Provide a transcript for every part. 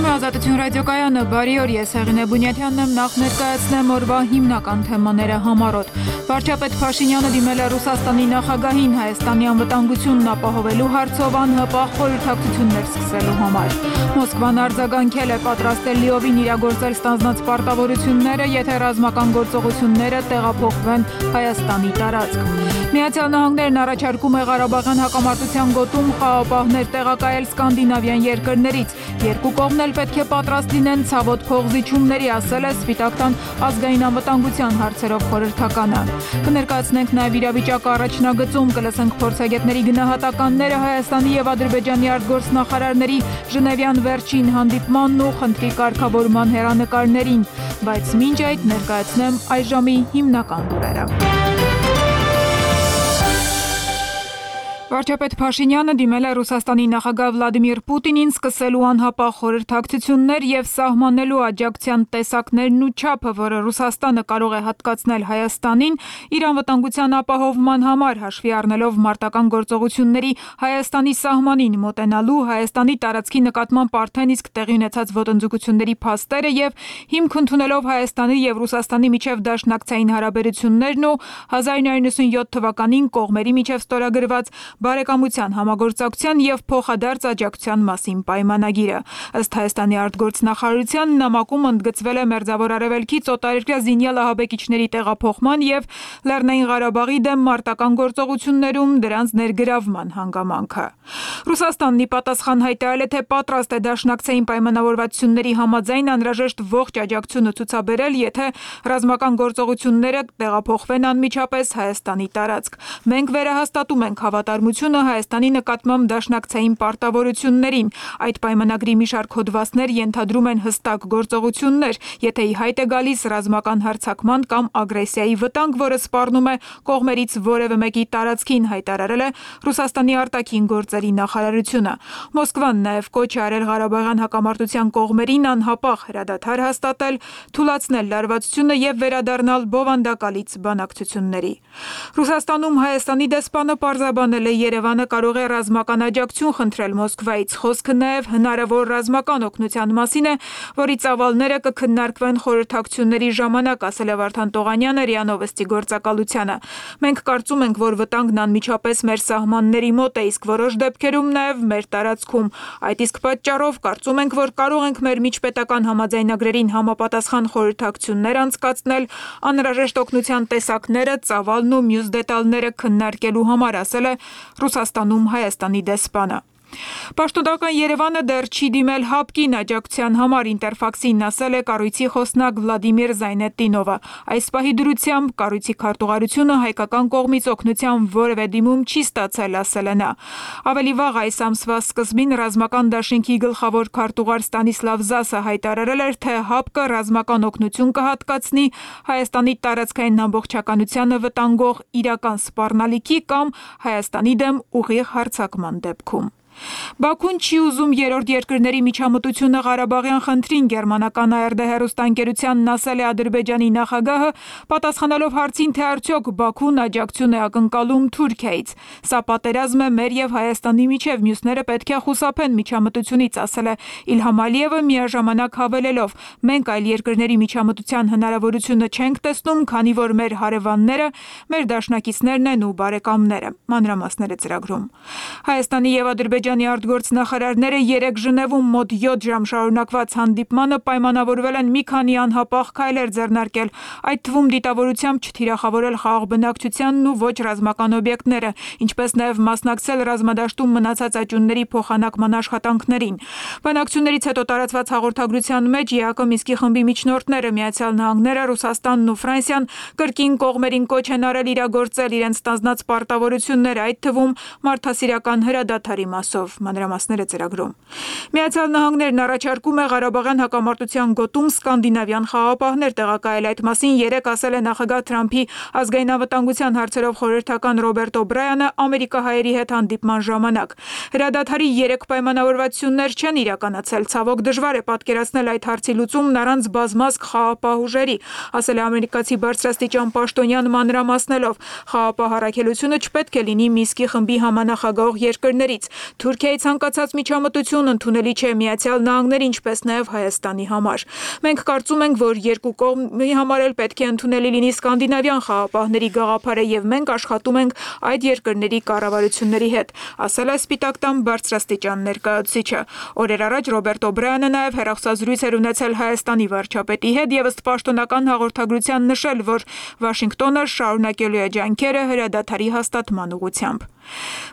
է Ազատություն ռադիոկայանը, բարի օր, ես Հեղինե Բունյաթյանն եմ, նախ ներկայացնեմ օրվա հիմնական թեմաները համառոտ։ Վարչապետ Փաշինյանը դիմել է Ռուսաստանի նախագահին Հայաստանի անվտանգությունն ապահովելու հարցով անհապաղ խորհրդակցություններ սկսելու համար։ Մոսկվան արձագանքել է պատրաստել լիովին իրագործել ստանձնած պարտավորությունները, եթե ռազմական գործողությունները տեղափոխվեն Հայաստանի տարածք։ Միացյալ Նահանգներն առաջարկում է Ղարաբաղյան հակամարտության գոտում խաղապահներ տեղակայել սկանդինավյան երկրներից։ Երկու կողմն էլ պետք է պատրաստ լինեն ցավոտ փողզիջումների, ասել է Սպիտակ տան ազգային անվտանգության հարցերով խորհրդականը։ Կներկայացնենք նաև իրավիճակը առաջնագծում, կլսենք փորձագետների գնահատականները Հայաստանի եւ Ադրբեջանի արտգործնախարարների Ժնևյան վերջին հանդիպմանն ու խնդրի կարգավորման հեռանկարներին, բայց մինչ այդ ներկայացնեմ այժմի հիմնական լուրերը։ Վարչապետ Փաշինյանը դիմել է Ռուսաստանի նախագահ Վլադիմիր Պուտինին սկսելու անհապաղ խորհրդակցություններ եւ սահմանելու աջակցության տեսակներն ու չափը, որը Ռուսաստանը կարող է հատկացնել Հայաստանին իր անվտանգության ապահովման համար, հաշվի առնելով մարտական գործողությունների Հայաստանի սահմանին մոտենալու, Հայաստանի տարածքի նկատմամբ արդեն իսկ տեղի ունեցած ոտնձգությունների փաստերը եւ հիմք ընդունելով Հայաստանի եւ Ռուսաստանի միջև դաշնակցային հարաբերություններն ու 1997 թվականին կողմերի միջև ստորագրված բարեկամության, համագործակցության եւ փոխադարձ աջակցության մասին պայմանագիրը։ Ըստ Հայաստանի արտգործնախարարության նամակում ընդգծվել է Մերձավոր Արևելքից օտարերկրյա զինյալ ահաբեկիչների տեղափոխման եւ Լեռնային Ղարաբաղի դեմ մարտական գործողություններում դրանց ներգրավման հանգամանքը։ Ռուսաստանն ի պատասխան հայտարարել է, թե պատրաստ է դաշնակցային պայմանավորվածությունների համաձայն անհրաժեշտ ողջ աջակցությունը ցուցաբերել, եթե ռազմական գործողությունները տեղափոխվեն անմիջապես Հայաստանի տարածք։ Մենք վերահաստատում ենք հավատարմությունը Հայաստանի նկատմամբ դաշնակցային պարտավորություններին։ Այդ պայմանագրի մի շարք հոդվածներ ենթադրում են հստակ գործողություններ, եթե ի հայտ է գալիս ռազմական հարձակման կամ ագրեսիայի վտանգ, որը սպառնում է կողմերից որևէ մեկի տարածքին, հայտարարել է Ռուսաստանի արտաքին գործերի նախարարությունը։ Մոսկվան նաև կոչ է արել Ղարաբաղյան հակամարտության կողմերին անհապաղ հրադադար հաստատել, թուլացնել լարվածությունը եւ վերադառնալ բովանդակալից բանակցությունների։ Ռուսաստանում Հայաստանի դեսպանը պարզաբանել է, Երևանը կարող է ռազմական աջակցություն խնդրել Մոսկվայից։ Խոսքը նաև հնարավոր ռազմական օգնության մասին է, որի ծավալները կքննարկվեն խորհրդակցությունների ժամանակ, ասել է Վարդան Տողանյանը ՌԻԱ Նովոստի գործակալությանը։ Մենք կարծում ենք, որ վտանգն անմիջապես մեր սահմանների մոտ է, իսկ որոշ դեպքերում նաև մեր տարածքում։ Այդ իսկ պատճառով կարծում ենք, որ կարող ենք մեր միջպետական համաձայնագրերին համապատասխան խորհրդակցություններ անցկացնել, անհրաժեշտ օգնության տեսակները, ծավալն ու մյուս դետալները քննարկելու համար, ասել է Ռուսաստանում Հայաստանի դեսպանը։ Պաշտոնական Երևանը դեռ չի դիմել ՀԱՊԿ-ին աջակցության համար, Ինտերֆաքսին ասել է կառույցի խոսնակ Վլադիմիր Զայնետդինովը։ Այս պահի դրությամբ կառույցի քարտուղարությունը հայկական կողմից օգնության որևէ դիմում չի ստացել, ասել է նա։ Ավելի վաղ այս ամսվա սկզբին ռազմական դաշինքի գլխավոր քարտուղար Ստանիսլավ Զասը հայտարարել էր, թե ՀԱՊԿ-ը ռազմական օգնություն կհատկացնի Հայաստանի տարածքային ամբողջականությանը վտանգող իրական սպառնալիքի կամ Հայաստանի դեմ ուղիղ հարձակման դեպքում։ Բաքուն չի ուզում երրորդ երկրների միջամտությունը Ղարաբաղյան խնդրին, գերմանական ARD հեռուստաընկերությանն ասել է Ադրբեջանի նախագահը, պատասխանելով հարցին, թե արդյոք Բաքուն աջակցություն է ակնկալում Թուրքիայից։ Սա պատերազմ է մեր եւ Հայաստանի միջև, մյուսները պետք է խուսափեն միջամտությունից, ասել է Իլհամ Ալիևը, միաժամանակ հավելելով. մենք այլ երկրների միջամտության հնարավորությունը չենք տեսնում, քանի որ մեր հարևանները, մեր դաշնակիցներն են ու բարեկամները։ Մանրամասները ծրագրում։ Հայաստանի եւ Ադրբեջանի արտգործնախարարները 3 Ժնևում մոտ 7 ժամ շարունակված հանդիպմանը պայմանավորվել են մի քանի անհապաղ քայլեր ձեռնարկել, այդ թվում դիտավորությամբ չթիրախավորել խաղաղ բնակչությանն ու ոչ ռազմական օբյեկտները, ինչպես նաև մասնակցել ռազմադաշտում մնացած աճյունների փոխանակման աշխատանքներին։ Բանակցություններից հետո տարածված հաղորդագրության մեջ ԵԱԿ Մինսկի խմբի միջնորդները, Միացյալ Նահանգները, Ռուսաստանն ու Ֆրանսիան կրկին կողմերին կոչ են արել իրագործել իրենց ստանձնած պարտավորությունները, այդ թվում մարդասիրական հրադադարի մասով, մանրամասները ծրագրում։ Միացյալ Նահանգներն առաջարկում է Ղարաբաղյան հակամարտության գոտում սկանդինավյան խաղապահներ տեղակայել, այդ մասին երեկ ասել է նախագահ Թրամփի ազգային անվտանգության հարցերով խորհրդական Ռոբերտ Օբրայանը ամերիկահայերի հետ հանդիպման ժամանակ։ Հրադադարի 3 պայմանավորվածություններ չեն իրականացել, ցավոք դժվար է պատկերացնել այդ հարցի լուծումն առանց բազմազգ խաղապահ ուժերի, ասել է ամերիկացի բարձրաստիճան պաշտոնյան մանրամասնելով։ Խաղապահ առաքելությունը չպետք է լինի Մինսկի խմբի համանախագահող երկրներից։ Թուրքիայի ցանկացած միջամտություն ընդունելի չէ Միացյալ Նահանգների, ինչպես նաև Հայաստանի համար։ Մենք կարծում ենք, որ երկու կողմի համար էլ պետք է ընդունելի լինի սկանդինավյան խաղապահների գաղափարը եւ մենք աշխատում ենք այդ երկրների կառավարությունների հետ, ասել է Սպիտակ տան բարձրաստիճան ներկայացուցիչը։ Օրեր առաջ Ռոբերտ Օբրայանը նաև հեռախոսազրույց էր ունեցել Հայաստանի վարչապետի հետ եւ ըստ պաշտոնական հաղորդագրության նշել, որ Վաշինգտոնը շարունակելու է ջանքերը հրադադարի հաստատման ուղղությամբ։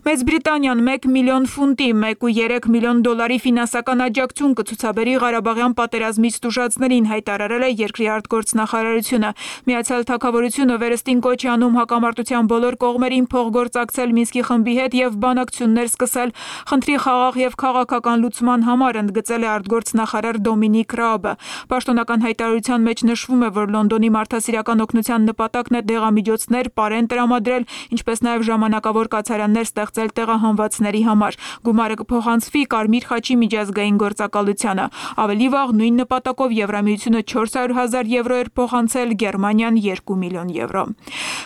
Մեծ Բրիտանիան 1 միլիոն ֆունտի, 1.3 միլիոն դոլարի ֆինանսական աջակցություն կցուցաբերի Ղարաբաղյան պատերազմից տուժածներին, հայտարարել է երկրի արտգործնախարարությունը։ Միացյալ Թագավորությունը վերստին կոչ է անում հակամարտության բոլոր կողմերին փոխգործակցել Մինսկի խմբի հետ եւ բանակցություններ սկսել խնդրի խաղաղ եւ քաղաքական լուծման համար, ընդգծել է արտգործնախարար Դոմինիկ Ռաբը։ Պաշտոնական հայտարարության մեջ նշվում է, որ Լոնդոնի մարդասիրական օգնության նպատակն է դեղամիջոցներ պարեն տրամադրել, ինչպես նաեւ ժամանակավոր կացարաններ ստեղծել տեղահանվածների համար։ Գումարը կփոխանցվի Կարմիր խաչի միջազգային գործակալությանը։ Ավելի վաղ նույն նպատակով Եվրամիությունը 400,000 եվրո էր փոխանցել, Գերմանիան 2 միլիոն եվրո։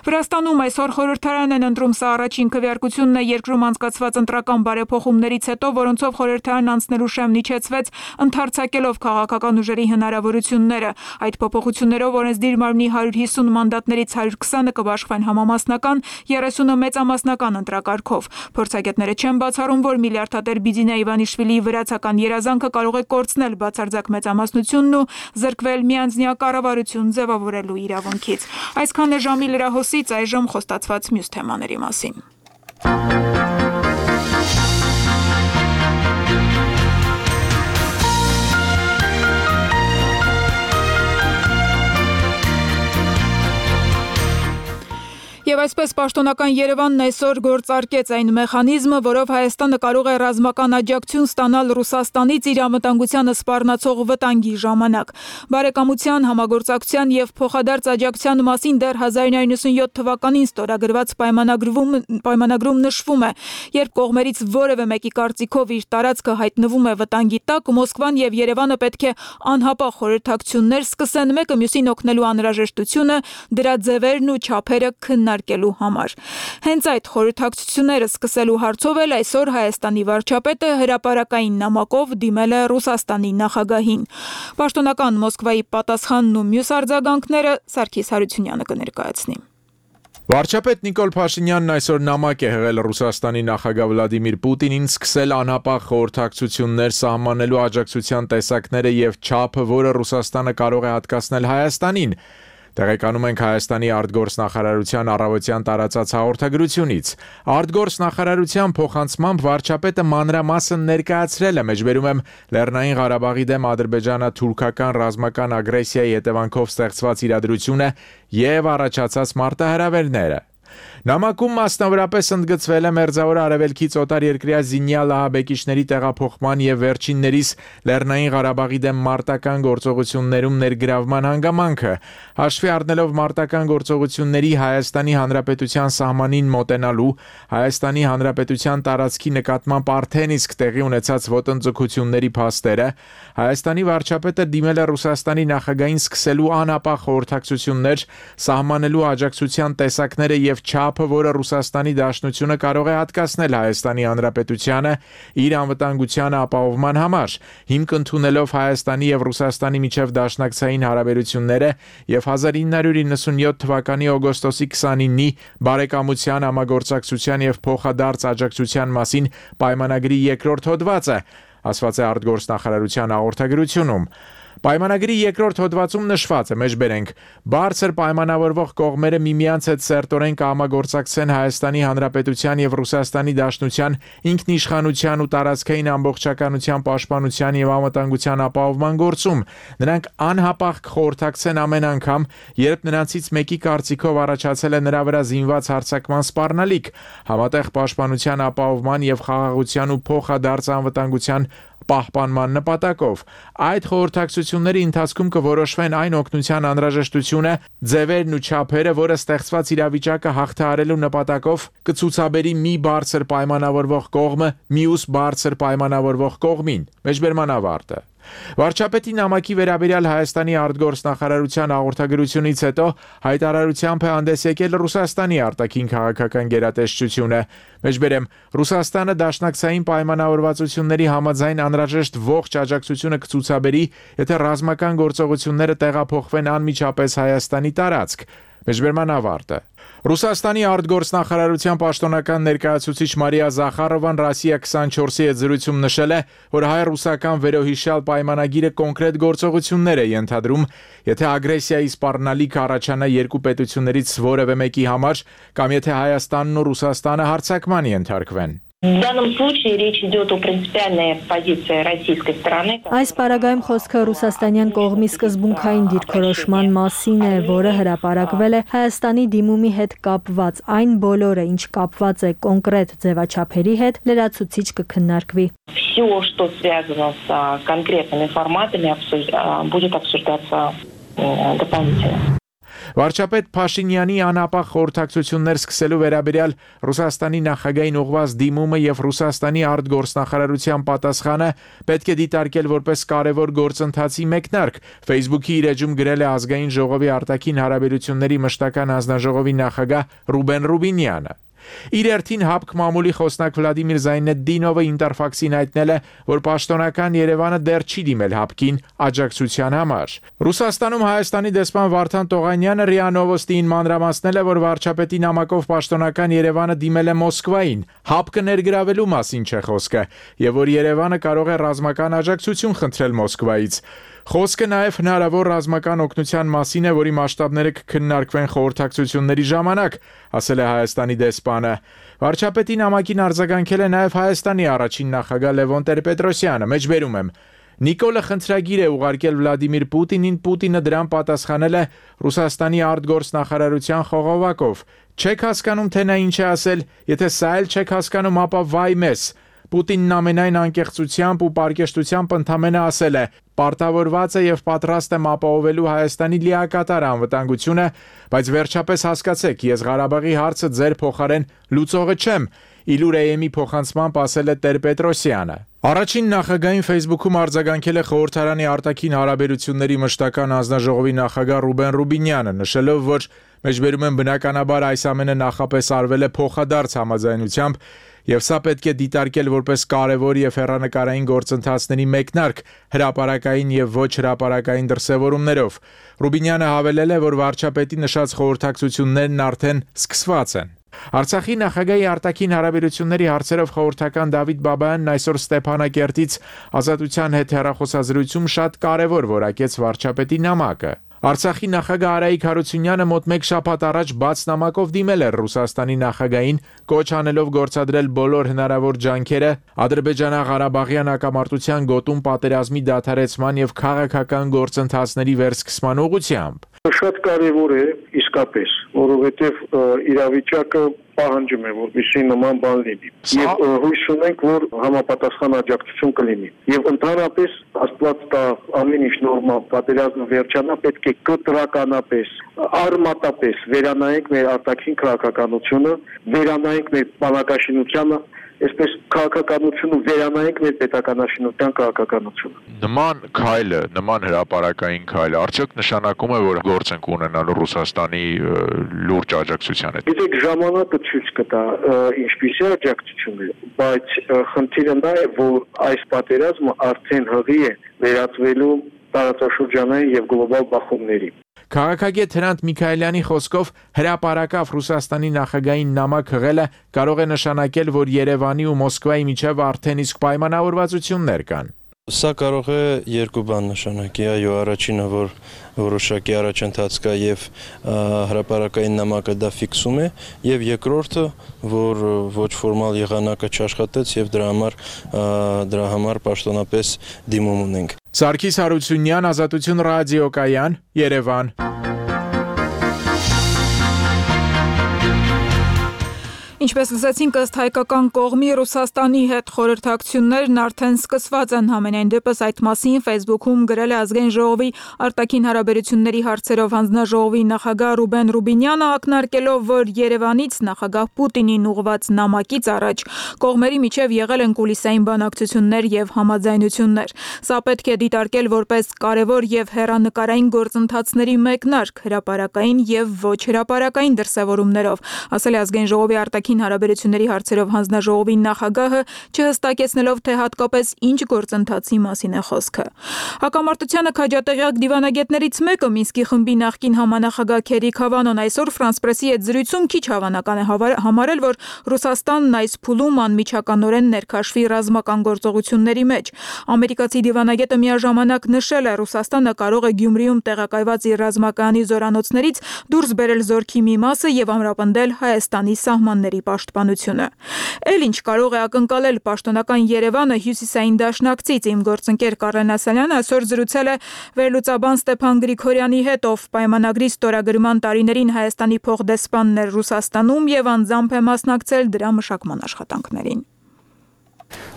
Վրաստանում այսօր խորհրդարան են ընտրում, սա առաջին քվեարկությունն է երկրում անցկացված ընտրական բարեփոխումներից հետո, որոնցով խորհրդարան անցնելու շեմն իջեցվեց, ընդարձակելով քաղաքական ուժերի հնարավորությունները։ Այդ փոփոխություններով օրենսդիր մարմնի 150 մանդատներից 120-ը կբաշխվեն համամասնական, 30-ը մեծամասնական ընտրակարգով։ Փորձագետները չեն բացառում, որ միլիարդատեր Բիձինա Իվանիշվիլիի վրացական երազանքը կարող է կորցնել բացարձակ մեծամասնությունն ու զրկվել միանձնյա կառավարություն ձևավորելու իրավունքից։ Այսքան է ժամի լրահոսից, այժմ խոստացված մյուս թեմաների մասին։ Եվ այսպես պաշտոնական Երևանն այսօր գործարկեց այն մեխանիզմը, որով Հայաստանը կարող է ռազմական աջակցություն ստանալ Ռուսաստանից իր անվտանգությանը սպառնացող վտանգի ժամանակ։ Բարեկամության, համագործակցության եւ փոխադարձ աջակցության մասին դեռ 1997 թվականին ստորագրված պայմանագրում նշվում է, երբ կողմերից որևէ մեկի կարծիքով իր տարածքը հայտնվում է վտանգի տակ, Մոսկվան եւ Երևանը պետք է անհապաղ խորհրդակցություններ սկսեն, մեկը մյուսին օգնելու անհրաժեշտությունը, դրա ձևերն ու չափերը քննարկելու համար։ Հենց այդ խորհրդակցությունները սկսելու հարցով էլ այսօր Հայաստանի վարչապետը հրապարակային նամակով դիմել է Ռուսաստանի նախագահին։ Պաշտոնական Մոսկվայի պատասխանն ու մյուս արձագանքները Սարգիս Հարությունյանը կներկայացնի։ Վարչապետ Նիկոլ Փաշինյանն այսօր նամակ է հղել Ռուսաստանի նախագահ Վլադիմիր Պուտինին սկսել անհապաղ խորհրդակցություններ սահմանելու աջակցության տեսակները եւ չափը, որը Ռուսաստանը կարող է հատկացնել Հայաստանին։ Տեղեկանում ենք Հայաստանի արտգործնախարարության առավոտյան տարածած հաղորդագրությունից։ Արտգործնախարարության փոխանցմամբ վարչապետը մանրամասն ներկայացրել է, մեջբերում եմ Լեռնային Ղարաբաղի դեմ ադրբեջանա-թուրքական ռազմական ագրեսիայի հետևանքով ստեղծված իրադրությունը եւ առաջացած մարտահրավերները։ Նամակում մասնավորապես ընդգծվել է Մերձավոր Արևելքից օտար երկրյա զինյալ ահաբեկիչների տեղափոխման եւ վերջիններիս Լեռնային Ղարաբաղի դեմ մարտական գործողություններում ներգրավման հանգամանքը, հաշվի առնելով մարտական գործողությունների Հայաստանի Հանրապետության սահմանին մոտենալու, Հայաստանի Հանրապետության տարածքի նկատմամբ արդեն իսկ տեղի ունեցած ոտնձգությունների փաստերը, Հայաստանի վարչապետը դիմել է Ռուսաստանի նախագահին սկսելու անհապաղ խորհրդակցություններ, սահմանելու աջակցության տեսակները եւ չափը, որը Ռուսաստանի Դաշնությունը կարող է հատկացնել Հայաստանի Հանրապետությանը իր անվտանգությանը ապահովման համար, հիմք ընդունելով Հայաստանի եւ Ռուսաստանի միջև դաշնակցային հարաբերությունները եւ 1997 թվականի օգոստոսի 29-ի բարեկամության, համագործակցության եւ փոխադարձ աջակցության մասին պայմանագրի երկրորդ հոդվածը, ասված է արտգործնախարարության հաղորդագրությունում։ Պայմանագրի երկրորդ հոդվածում նշված է, մեջբերենք, բարձր պայմանավորվող կողմերը միմյանց հետ սերտորեն կհամագործակցեն Հայաստանի Հանրապետության եւ Ռուսաստանի Դաշնության ինքնիշխանության ու տարածքային ամբողջականության պաշտպանության եւ անվտանգության ապահովման գործում։ Նրանք անհապաղ կխորհրդակցեն ամեն անգամ, երբ նրանցից մեկի կարծիքով առաջացել է նրա վրա զինված հարձակման սպառնալիք, համատեղ պաշտպանության ապահովման եւ խաղաղության ու փոխադարձ անվտանգության պահպանման նպատակով։ Այդ խորհրդակցությունների ընթացքում կորոշվեն այն օգնության անհրաժեշտությունը, ձևերն ու չափերը, որը ստեղծված իրավիճակը հաղթահարելու նպատակով կցուցաբերի մի բարձր պայմանավորվող կողմը մյուս բարձր պայմանավորվող կողմին։ Մեջբերման ավարտը։ Վարչապետի նամակի վերաբերյալ Հայաստանի արտգործնախարարության հաղորդագրությունից հետո հայտարարությամբ է հանդես եկել Ռուսաստանի արտաքին քաղաքական գերատեսչությունը։ Մեջբերեմ, Ռուսաստանը դաշնակցային պայմանավորվածությունների համաձայն անհրաժեշտ ողջ աջակցությունը կցուցաբերի, եթե ռազմական գործողությունները տեղափոխվեն անմիջապես Հայաստանի տարածք։ Մեջբերման ավարտը։ Ռուսաստանի արտգործնախարարության պաշտոնական ներկայացուցիչ Մարիա Զախարովան Ռասիա 24-ի հետ զրույցում նշել է, որ հայ-ռուսական վերոհիշյալ պայմանագիրը կոնկրետ գործողություններ է ենթադրում, եթե ագրեսիայի սպառնալիք առաջանա երկու պետություններից որևէ մեկի համար, կամ եթե Հայաստանն ու Ռուսաստանը հարձակման ենթարկվեն։ В данном случае речь идет о принципиальной позиции российской стороны. Այս պարագայում խոսքը ռուսաստանյան կողմի սկզբունքային դիրքորոշման մասին է, որը հրապարակվել է Հայաստանի դիմումի հետ կապված, այն բոլորը, ինչ կապված է կոնկրետ ձևաչափերի հետ, լրացուցիչ կքննարկվի։ Все, что связано с конкретными форматами, будет обсуждаться дополнительно. Վարչապետ Փաշինյանի անապահ խորհրդակցություններ սկսելու վերաբերյալ Ռուսաստանի նախագահին ուղղված դիմումը եւ Ռուսաստանի արտգործնախարարության պատասխանը պետք է դիտարկել որպես կարևոր գործընթացի մեկնարկ, Facebook-ի իր էջում գրել է Ազգային ժողովի արտաքին հարաբերությունների մշտական հանձնաժողովի նախագահ Ռուբեն Ռուբինյանը։ Իր երթին ՀԱՊԿ մամուլի խոսնակ Վլադիմիր Զայնեդդինովը Ինտերֆաքսին հայտնել է, որ պաշտոնական Երևանը դեռ չի դիմել ՀԱՊԿ-ին աջակցության համար։ Ռուսաստանում Հայաստանի դեսպան Վարդան Տողանյանը ՌԻԱ Նովոստիին մանրամասնել է, որ վարչապետի նամակով պաշտոնական Երևանը դիմել է Մոսկվային, ՀԱՊԿ-ը ներգրավելու մասին չէ խոսքը, եւ որ Երևանը կարող է ռազմական աջակցություն խնդրել Մոսկվայից։ Խոսքը նաև հնարավոր ռազմական օգնության մասին է, որի մասշտաբները կքննարկվեն խորհրդակցությունների ժամանակ, ասել է Հայաստանի դեսպանը։ Վարչապետի նամակին արձագանքել է նաև Հայաստանի առաջին նախագահ Լևոն Տեր-Պետրոսյանը, մեջբերում եմ։ Նիկոլը խնդրագիր է ուղարկել Վլադիմիր Պուտինին, Պուտինը դրան պատասխանել է Ռուսաստանի արտգործնախարարության խողովակով։ Չեք հասկանում, թե նա ինչ է ասել, եթե սա էլ չեք հասկանում, ապա վայ մեզ։ Պուտինն ամենայն անկեղծությամբ ու պարկեշտությամբ ընդամենը ասել է. «Պարտավորված է եւ պատրաստ եմ ապահովելու Հայաստանի լիակատար անվտանգությունը, բայց վերջապես հասկացեք, ես Ղարաբաղի հարցը ձեր փոխարեն լուծողը չեմ», Իլուրեյեմի փոխանցմամբ ասել է Տեր-Պետրոսյանը։ Առաջին նախագահային Facebook-ում արձագանքել է խորհրդարանի արտաքին հարաբերությունների մշտական հանձնաժողովի նախագահ Ռուբեն Ռուբինյանը, նշելով, որ մեջբերում են բնականաբար այս ամենը նախապես արվել է փոխադարձ համաձայնությամբ եւ սա պետք է դիտարկել որպես կարևոր եւ հեռանկարային գործընթացների մեկնարկ հրապարակային եւ ոչ հրապարակային դրսեւորումներով։ Ռուբինյանը հավելել է, որ վարչապետի նշած խորհրդակցություններն արդեն սկսված են։ Արցախի նախագահի արտաքին հարաբերությունների հարցերով խորհրդական Դավիթ Բաբայանն այսօր Ստեփանակերտից Ազատության հետ հեռախոսազրույցում շատ կարևոր որակեց վարչապետի նամակը։ Արցախի նախագահ Արայիկ Հարությունյանը մոտ մեկ շաբաթ առաջ բաց նամակով դիմել էր Ռուսաստանի նախագահին, կոչ անելով գործադրել բոլոր հնարավոր ջանքերը Ադրբեջանա-Ղարաբաղյան հակամարտության գոտում պատերազմի դադարեցման եւ քաղաքական գործընթացների վերսկսման ուղղությամբ։ Շատ կարևոր է իսկապես, որովհետև իրավիճակը պահանջում է, որպեսզի նման բան լինի։ Եվ հույս ունենք, որ համապատասխան աջակցություն կլինի։ Եվ ընդհանրապես Աստված տա ամեն ինչ նորմալ, պատերազմը վերջանա, պետք է կտրականապես, արմատապես վերանայենք մեր արտաքին քաղաքականությունը, վերանայենք մեր բանակաշինությանը, այսպես քաղաքականությունը վերանայենք մեր պետականաշինության քաղաքականությունը։ Նման քայլը, նման հրապարակային քայլը արդյոք նշանակում է, որ գործ ենք ունենալու Ռուսաստանի լուրջ աջակցության հետ։ Գիտեք, ժամանակը ցույց կտա ինչպիսի աջակցություն է, բայց խնդիրը նա է, որ այս պատերազմը արդեն հղի է վերածվելու տարածաշրջանային եւ գլոբալ բախումների։ Քաղաքագետ Հրանտ Միքայելյանի խոսքով հրապարակավ Ռուսաստանի նախագահային նամակ հղելը կարող է նշանակել, որ Երևանի ու Մոսկվայի միջև արդեն իսկ պայմանավորվածություններ կան։ Սա կարող է երկու բան նշանակի, այո, առաջինը, որ որոշակի առաջընթաց կա եւ հրապարակային նամակը դա ֆիքսում է, եւ երկրորդը, որ ոչ ֆորմալ եղանակը չաշխատեց եւ դրա համար պաշտոնապես դիմում ունենք։ Սարգիս Հարությունյան, Ազատություն ռադիոկայան, Երևան։ Ինչպես լսեցինք, ըստ հայկական կողմի Ռուսաստանի հետ խորհրդակցություններն արդեն սկսված են, համենայն դեպս այդ մասին Facebook-ում գրել է Ազգային ժողովի արտաքին հարաբերությունների հարցերով հանձնաժողովի նախագահ Ռուբեն Ռուբինյանը, ակնարկելով, որ Երևանից նախագահ Պուտինին ուղղված նամակից առաջ կողմերի միջև եղել են կուլիսային բանակցություններ եւ համաձայնություններ։ Սա պետք է դիտարկել որպես կարևոր եւ հեռանկարային գործընթացների մեկնարկ հրապարակային եւ ոչ հրապարակային դրսևորումներով, ասել է Ազգային ժողովի արտաքին հարաբերությունների հարցերով հանձնաժողովի նախագահը, չհստակեցնելով, թե հատկապես ինչ գործընթացի մասին է խոսքը։ Հակամարտությանը քաջատեղյակ դիվանագետներից մեկը Մինսկի խմբի նախկին համանախագահ Քերիկ Հավանոն այսօր France Press-ի հետ զրույցում քիչ հավանական է համարել, որ Ռուսաստանն այս փուլում անմիջականորեն ներքաշվի ռազմական գործողությունների մեջ։ Ամերիկացի դիվանագետը միաժամանակ նշել է, Ռուսաստանը կարող է Գյումրիում տեղակայված իր ռազմակայանի զորանոցներից դուրս բերել զորքի մի մասը եւ ամրապնդել Հայաստանի սահմանների պաշտպանությունը։ Էլ ինչ կարող է ակնկալել պաշտոնական Երևանը հյուսիսային դաշնակցից։ Իմ գործընկեր Կարեն Ասալյանը այսօր զրուցել է վերլուծաբան Ստեփան Գրիգորյանի հետ, ով պայմանագրի ստորագրման տարիներին Հայաստանի փոխդեսպանն էր Ռուսաստանում եւ անձամբ է մասնակցել դրա մշակման աշխատանքներին։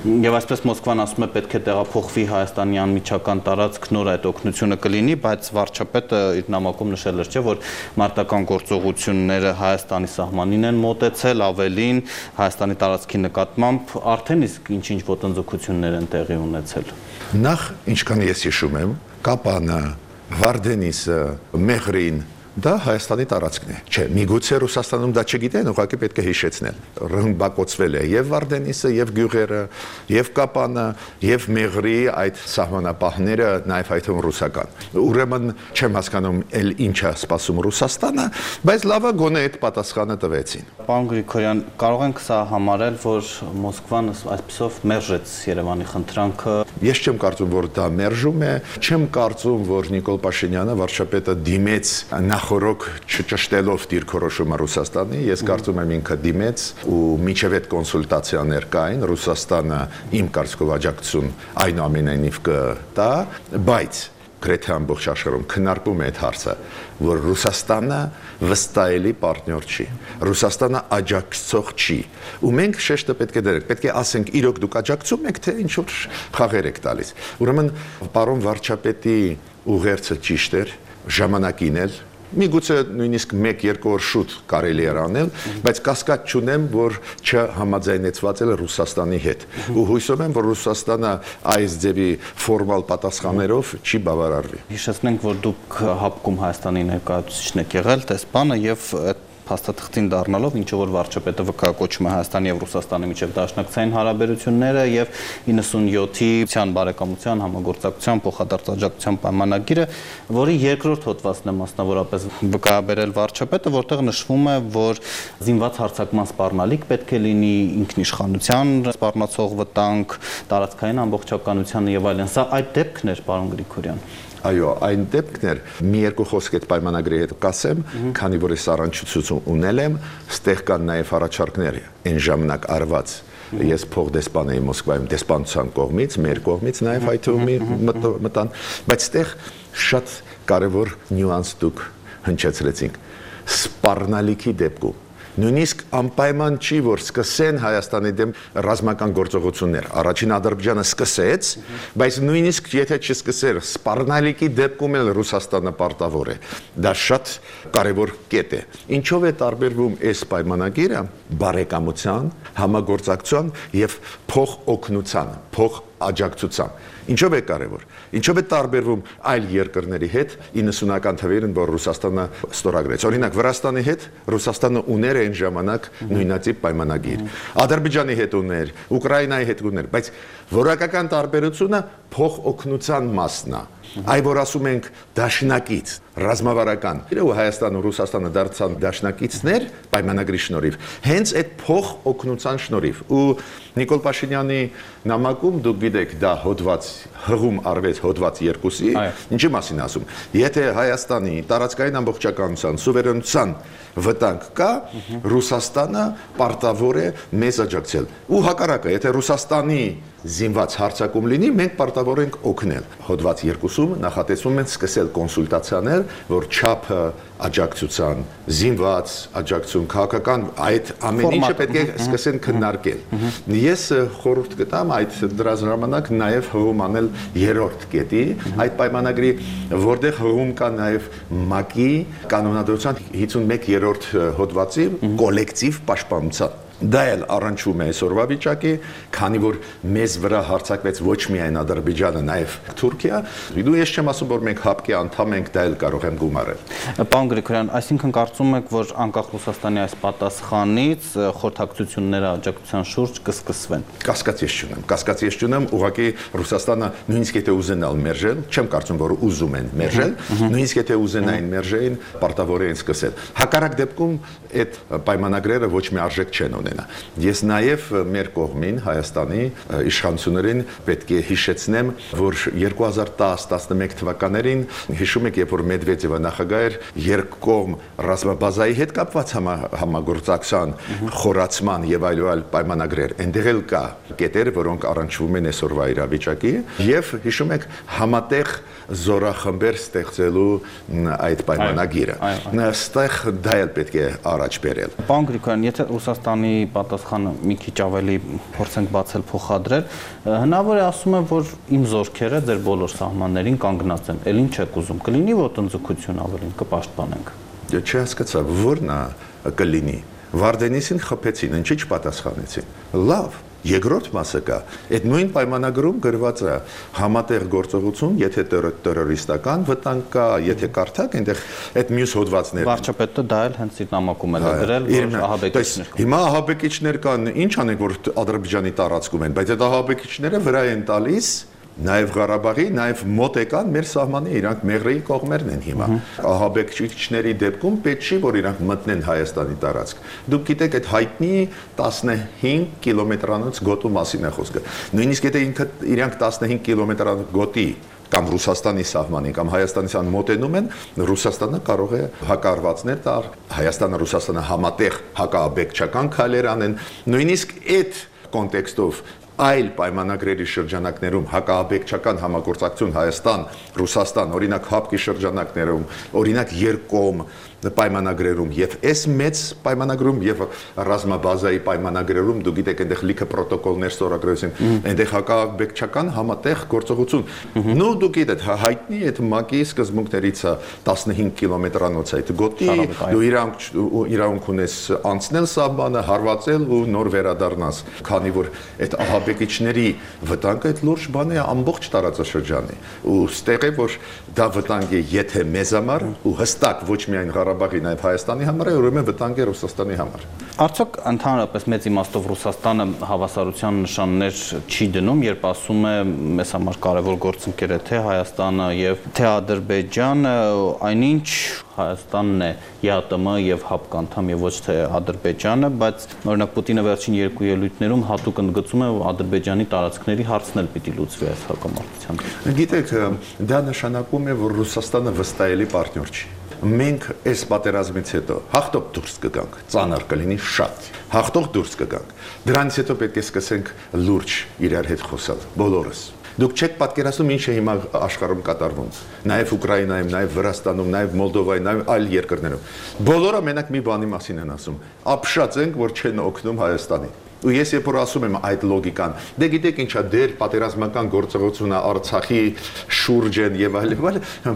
Եվ այսպես Մոսկվան ասում է, պետք է տեղափոխվի Հայաստանի անմիջական տարածք, նոր այդ օգնությունը կլինի, բայց վարչապետը իր նամակում նշել էր, չէ, որ մարտական գործողությունները Հայաստանի սահմանին են մոտեցել, ավելին Հայաստանի տարածքի նկատմամբ արդեն իսկ ինչ-ինչ ոտնձգություններ են տեղի ունեցել։ Նախ, ինչքան ես հիշում եմ, Կապանը, Վարդենիսը, Մեղրին դա Հայաստանի տարածքն է։ Չէ, միգուցե Ռուսաստանում դա չգիտեն, ուղղակի պետք է հիշեցնել։ Ռմբակոծվել է եւ Վարդենիսը, եւ Գյուղերը, եւ Կապանը, եւ Մեղրի այդ սահմանապահները, նաեւ այդ ռուսական։ Ուրեմն չեմ հասկանում, ել ինչ է սպասում Ռուսաստանը, բայց լավը գոնե այդ պատասխանը տվեցին։ Պարոն Գրիգորյան, կարող ենք սա համարել, որ Մոսկվան այսպեսով մերժեց Երևանի խնդրանքը։ Ես չեմ կարծում, որ դա մերժում է, չեմ կարծում, որ Նիկոլ Փաշինյանը վարչապետը դիմեց նախորոք չճշտելով դիրքորոշումը Ռուսաստանի, ես կարծում եմ ինքը դիմեց ու միջև այդ կոնսուլտացիաներ կային, Ռուսաստանը իմ կարծիքով աջակցություն այնուամենայնիվ կտա, բայց գրեթե ամբողջ աշխարհում քննարկում է այդ հարցը, որ Ռուսաստանը վստահելի պարտներ չի, Ռուսաստանը աջակցող չի, ու մենք շեշտը պետք է դրենք, պետք է ասենք իրոք դուք աջակցում եք, թե ինչ որ խաղեր եք տալիս։ Ուրեմն պարոն վարչապետի ուղերձը ճիշտ էր, ժամանակին էլ միգուցե նույնիսկ 1-2 օր շուտ կարելի էր անել, բայց կասկած չունեմ, որ չհամաձայնեցված է Ռուսաստանի հետ։ Ու հույսով եմ, որ Ռուսաստանը այս ձևի ֆորմալ պատասխաններով չի բավարարվի։ Հիշեցնենք, որ դուք հապկում Հայաստանի ներկայացուցիչն եք եղել, տեսփանը եւ փաստաթղթին դառնալով, ինչը որ վարչապետը վկայակոչում է Հայաստանի եւ Ռուսաստանի միջև դաշնակցային հարաբերությունները եւ 97-ի բարեկամության համագործակցության փոխադարձ պայմանագիրը, որի երկրորդ հոդվածն է մասնավորապես վկայաբերել վարչապետը, որտեղ նշվում է, որ զինված հարձակման սպառնալիք պետք է լինի, ինքնիշխանության սպառնացող վտանգ, տարածքային ամբողջականության եւ այլն։ Սա այդ դեպքն էր, պարոն Գրիգորյան։ Այո, այն դեպքն էր, մի երկու խոսք այդ պայմանագրի հետ կասեմ, քանի որ ես առանցություն ունել եմ, ստեղ կան նաև առաջարկներ այն ժամանակ արված։ Ես փոխդեսպան էի Մոսկվայում դեսպանության կողմից, մեր կողմից նաև այդ մտան, բայց ստեղ շատ կարևոր նյուանս դուք հնչեցրեցինք։ Սպառնալիքի դեպքում նույնիսկ անպայման չի, որ սկսեն Հայաստանի դեմ ռազմական գործողություններ։ Առաջին Ադրբեջանը սկսեց, բայց նույնիսկ եթե չսկսեր, սպառնալիքի դեպքում էլ Ռուսաստանը պարտավոր է։ Դա շատ կարևոր կետ է։ Ինչով է տարբերվում այս պայմանագիրը բարեկամության, համագործակցության եւ փոխօգնության, փոխաջակցության։ Ինչով է կարևոր։ Ինչով է տարբերվում այլ երկրների հետ 90-ական թվերին, որ Ռուսաստանը ստորագրեց։ Օրինակ Վրաստանի հետ Ռուսաստանը ուներ այն ժամանակ նույնատիպ պայմանագիր։ Ադրբեջանի հետ ուներ, Ուկրաինայի հետ ուներ, բայց որակական տարբերությունը փոխօգնության մասն է։ Այ որ ասում ենք դաշնակից, ռազմավարական, ու Հայաստանը ու Ռուսաստանը դարձան դաշնակիցներ պայմանագրի շնորհիվ, հենց այդ փոխօգնության շնորհիվ։ Ու Նիկոլ Փաշինյանի նամակում դուք գիտեք, դա հոդված հղում արվեց հոդված 2-ի, ինչի մասին ասում։ Եթե Հայաստանի տարածքային ամբողջականության, սուվերենության վտանգ կա, Ռուսաստանը պարտավոր է մեզ աջակցել։ Ու հակառակը, եթե Ռուսաստանի զինված հարձակում լինի, մենք պարտավոր ենք օգնել։ Հոդված 2-ում նախատեսվում են սկսել կոնսուլտացիաներ, որ չափը աջակցության, զինված աջակցություն, քաղաքական այդ ամեն ինչը պետք է սկսեն քննարկել։ Ես խորհուրդ կտամ այդ դրա ժամանակ նաև հղում անել երրորդ կետի, այդ պայմանագրի, որտեղ հղում կա նաև ՄԱԿ-ի կանոնադրության 51-րդ հոդվածի կոլեկտիվ պաշտպանության։ Դա էլ առնչվում է այսօրվա վիճակի, քանի որ մեզ վրա հարձակվեց ոչ միայն Ադրբեջանը, նաև Թուրքիա, դու ես չեմ ասում, որ մենք ՀԱՊԿ-ի անդամ ենք, դա էլ կարող եմ գումարել։ Պարոն Գրիգորյան, այսինքն կարծում եք, որ անկախ Ռուսաստանի այս պատասխանից խորհրդակցությունները աջակցության շուրջ կսկսվեն։ Կասկած ես չունեմ, ուղղակի Ռուսաստանը նույնիսկ եթե ուզենալ մերժել, չեմ կարծում, որ ուզում են մերժել, նույնիսկ եթե ուզենային մերժեին, պարտավոր են սկսել։ Հակառակ դեպքում այդ պայմանագրերը ոչ մի արժեք չեն ունենա։ Ես նաև մեր կողմին Հայաստանի իշխանություններին պետք է հիշեցնեմ, որ 2010-11 թվականներին հիշում եք, երբ որ Մեդվեդևը նախագահ էր, երկկողմ ռազմաբազայի հետ կապված համագործակցության խորացման եւ այլ պայմանագրեր, այնտեղ էլ կա կետեր, որոնք առնչվում են այսօրվա իրավիճակի, եւ հիշում եք համատեղ զորախմբեր ստեղծելու այդ պայմանագիրը։ Այստեղ դա էլ պետք է առաջ բերել։ Պարոն Գրիգորյան, եթե Ռուսաստանի պատասխանը մի քիչ ավելի փորձենք բացել փոխադրել, հնարավոր է ասում եմ, որ իմ զորքերը ձեր բոլոր սահմաններին կանգնած են։ Էլ ինչ եք ուզում, կլինի ոտնձգություն ավելին, կպաշտպանենք։ Չհասկացա, ո՞րն է կլինի։ Վարդենիսին խփեցին, ինչի՞ չպատասխանեցին։ Լավ, երկրորդ մասը կա։ Այդ նույն պայմանագրում գրված է համատեղ գործողություն, եթե տերորիստական վտանգ կա, եթե կարդակ, այնտեղ այդ մյուս հոդվածներն։ Վարչապետը դա էլ հենց իր նամակում է գրել, որ ահաբեկիչներ կան։ Հիմա ահաբեկիչներ կան, ինչ անենք, որ Ադրբեջանի տարածքում են, բայց այդ ահաբեկիչները վրա են տալիս նաև Ղարաբաղի, նաև մոտեկան մեր սահմանի, իրանք Մեղրեի կողմերն են հիմա։ Ահաբեկիչների դեպքում պետք չի, որ իրանք մտնեն Հայաստանի տարածք։ Դուք գիտեք, այդ հայտնի 15 կիլոմետրանոց գոտու մասին է խոսքը։ Նույնիսկ եթե իրանք 15 կիլոմետրանոց գոտի կամ Ռուսաստանի սահմանին կամ Հայաստանի սահմանին մոտենում են, Ռուսաստանը կարող է հակառվածներ տալ, Հայաստանը, Ռուսաստանը համատեղ հակաաբեկչական քայլեր անեն, նույնիսկ այդ կոնտեքստով այլ պայմանագրերի շրջանակներում հակաաբեկչական համագործակցություն Հայաստան, Ռուսաստան, օրինակ ՀԱՊԿ-ի շրջանակներում, օրինակ երկկողմ պայմանագրերում եւ այս մեծ պայմանագրում եւ ռազմաբազայի պայմանագրերում դու գիտեք այնտեղ լիքը պրոտոկոլներ ստորագրեցին, այնտեղ հակաաբեկչական համատեղ գործողություն։ Նու դու գիտեք հայտնի այդ ՄԱԿ-ի սկզբունքներից է 15 կիլոմետրանոց այդ գոտի, դու իրավունք ունես անցնել սահմանը, հարվածել ու նոր վերադառնաս, քանի որ այդ ահաբեկիչների վտանգը այդ լուրջ բան է ամբողջ տարածաշրջանի ու ստեղ է որ դա վտանգ է եթե մեզ համար ու հստակ ոչ միայն Ղարաբաղի նաև Հայաստանի համար է, ուրեմն վտանգ է Ռուսաստանի համար։ Արդյոք ընդհանրապես մեծ իմաստով Ռուսաստանը հավասարության նշաններ չի դնում, երբ ասում է մեզ համար կարևոր գործընկեր է թե Հայաստանը եւ թե Ադրբեջանը, այնինչ Հայաստանն է ԵԱՏՄ եւ ՀԱՊԿ անդամ եւ ոչ թե Ադրբեջանը, բայց օրինակ Պուտինը վերջին երկու ելույթներում հատուկ ընդգծում է, որ Ադրբեջանի տարածքների հարցն էլ պիտի լուծվի այս հակամարտության։ Գիտեք, դա նշանակում է, որ Ռուսաստանը վստահելի պարտներ չի։ Մենք այս պատերազմից հետո հաղթող դուրս կգանք, ծանր կլինի շատ։ Հաղթող դուրս կգանք։ Դրանից հետո պետք է սկսենք լուրջ իրար հետ խոսալ, բոլորս։ Դուք չեք պատկերացնում ինչ է հիմա աշխարհում կատարվում։ Նաև Ուկրաինայում, նաև Վրաստանում, նաև Մոլդովայում, նաև այլ երկրներում։ Բոլորը մենակ մի բանի մասին են ասում։ Ապշած ենք, որ չեն օգնում Հայաստանին։ Ու ես երբ որ ասում եմ այդ լոգիկան, դե գիտեք ինչա դեր պատերազմական գործողությունը Արցախի շուրջ են եւ այլ,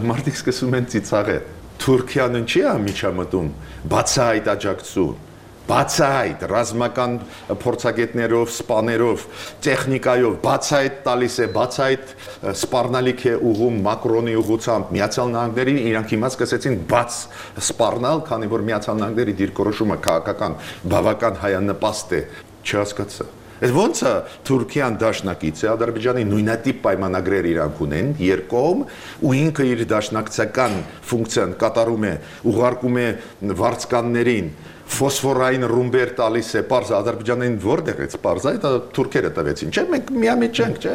մարդիկ սկսում են ծիծաղել։ Թուրքիան ինչի է միջամտում, բացահայտ աջակցություն, բացահայտ ռազմական փորձագետներով, սպաներով, տեխնիկայով, բացահայտ տալիս է, բացահայտ սպառնալիք է ուղում Մակրոնի ուղղությամբ, Միացյալ Նահանգներին իրանք հիմա սկսեցին բաց սպառնալ, քանի որ Միացյալ Նահանգների դիրքորոշումը քաղաքական բավական հայանպաստ է, չհասկացա։ Այդ ոնց է Թուրքիան դաշնակից է, Ադրբեջանի նույնատիպ պայմանագրեր իրանք ունեն, երկկողմ, ու ինքը իր դաշնակցական ֆունկցիան կատարում է, ուղարկում է վարձկաններին, ֆոսֆորային ռումբեր տալիս է, պարզ Ադրբեջանին որտեղ է պարզ, այդ թուրքերը տվեցին, չէ՞, մենք միամիտ չենք, չէ՞։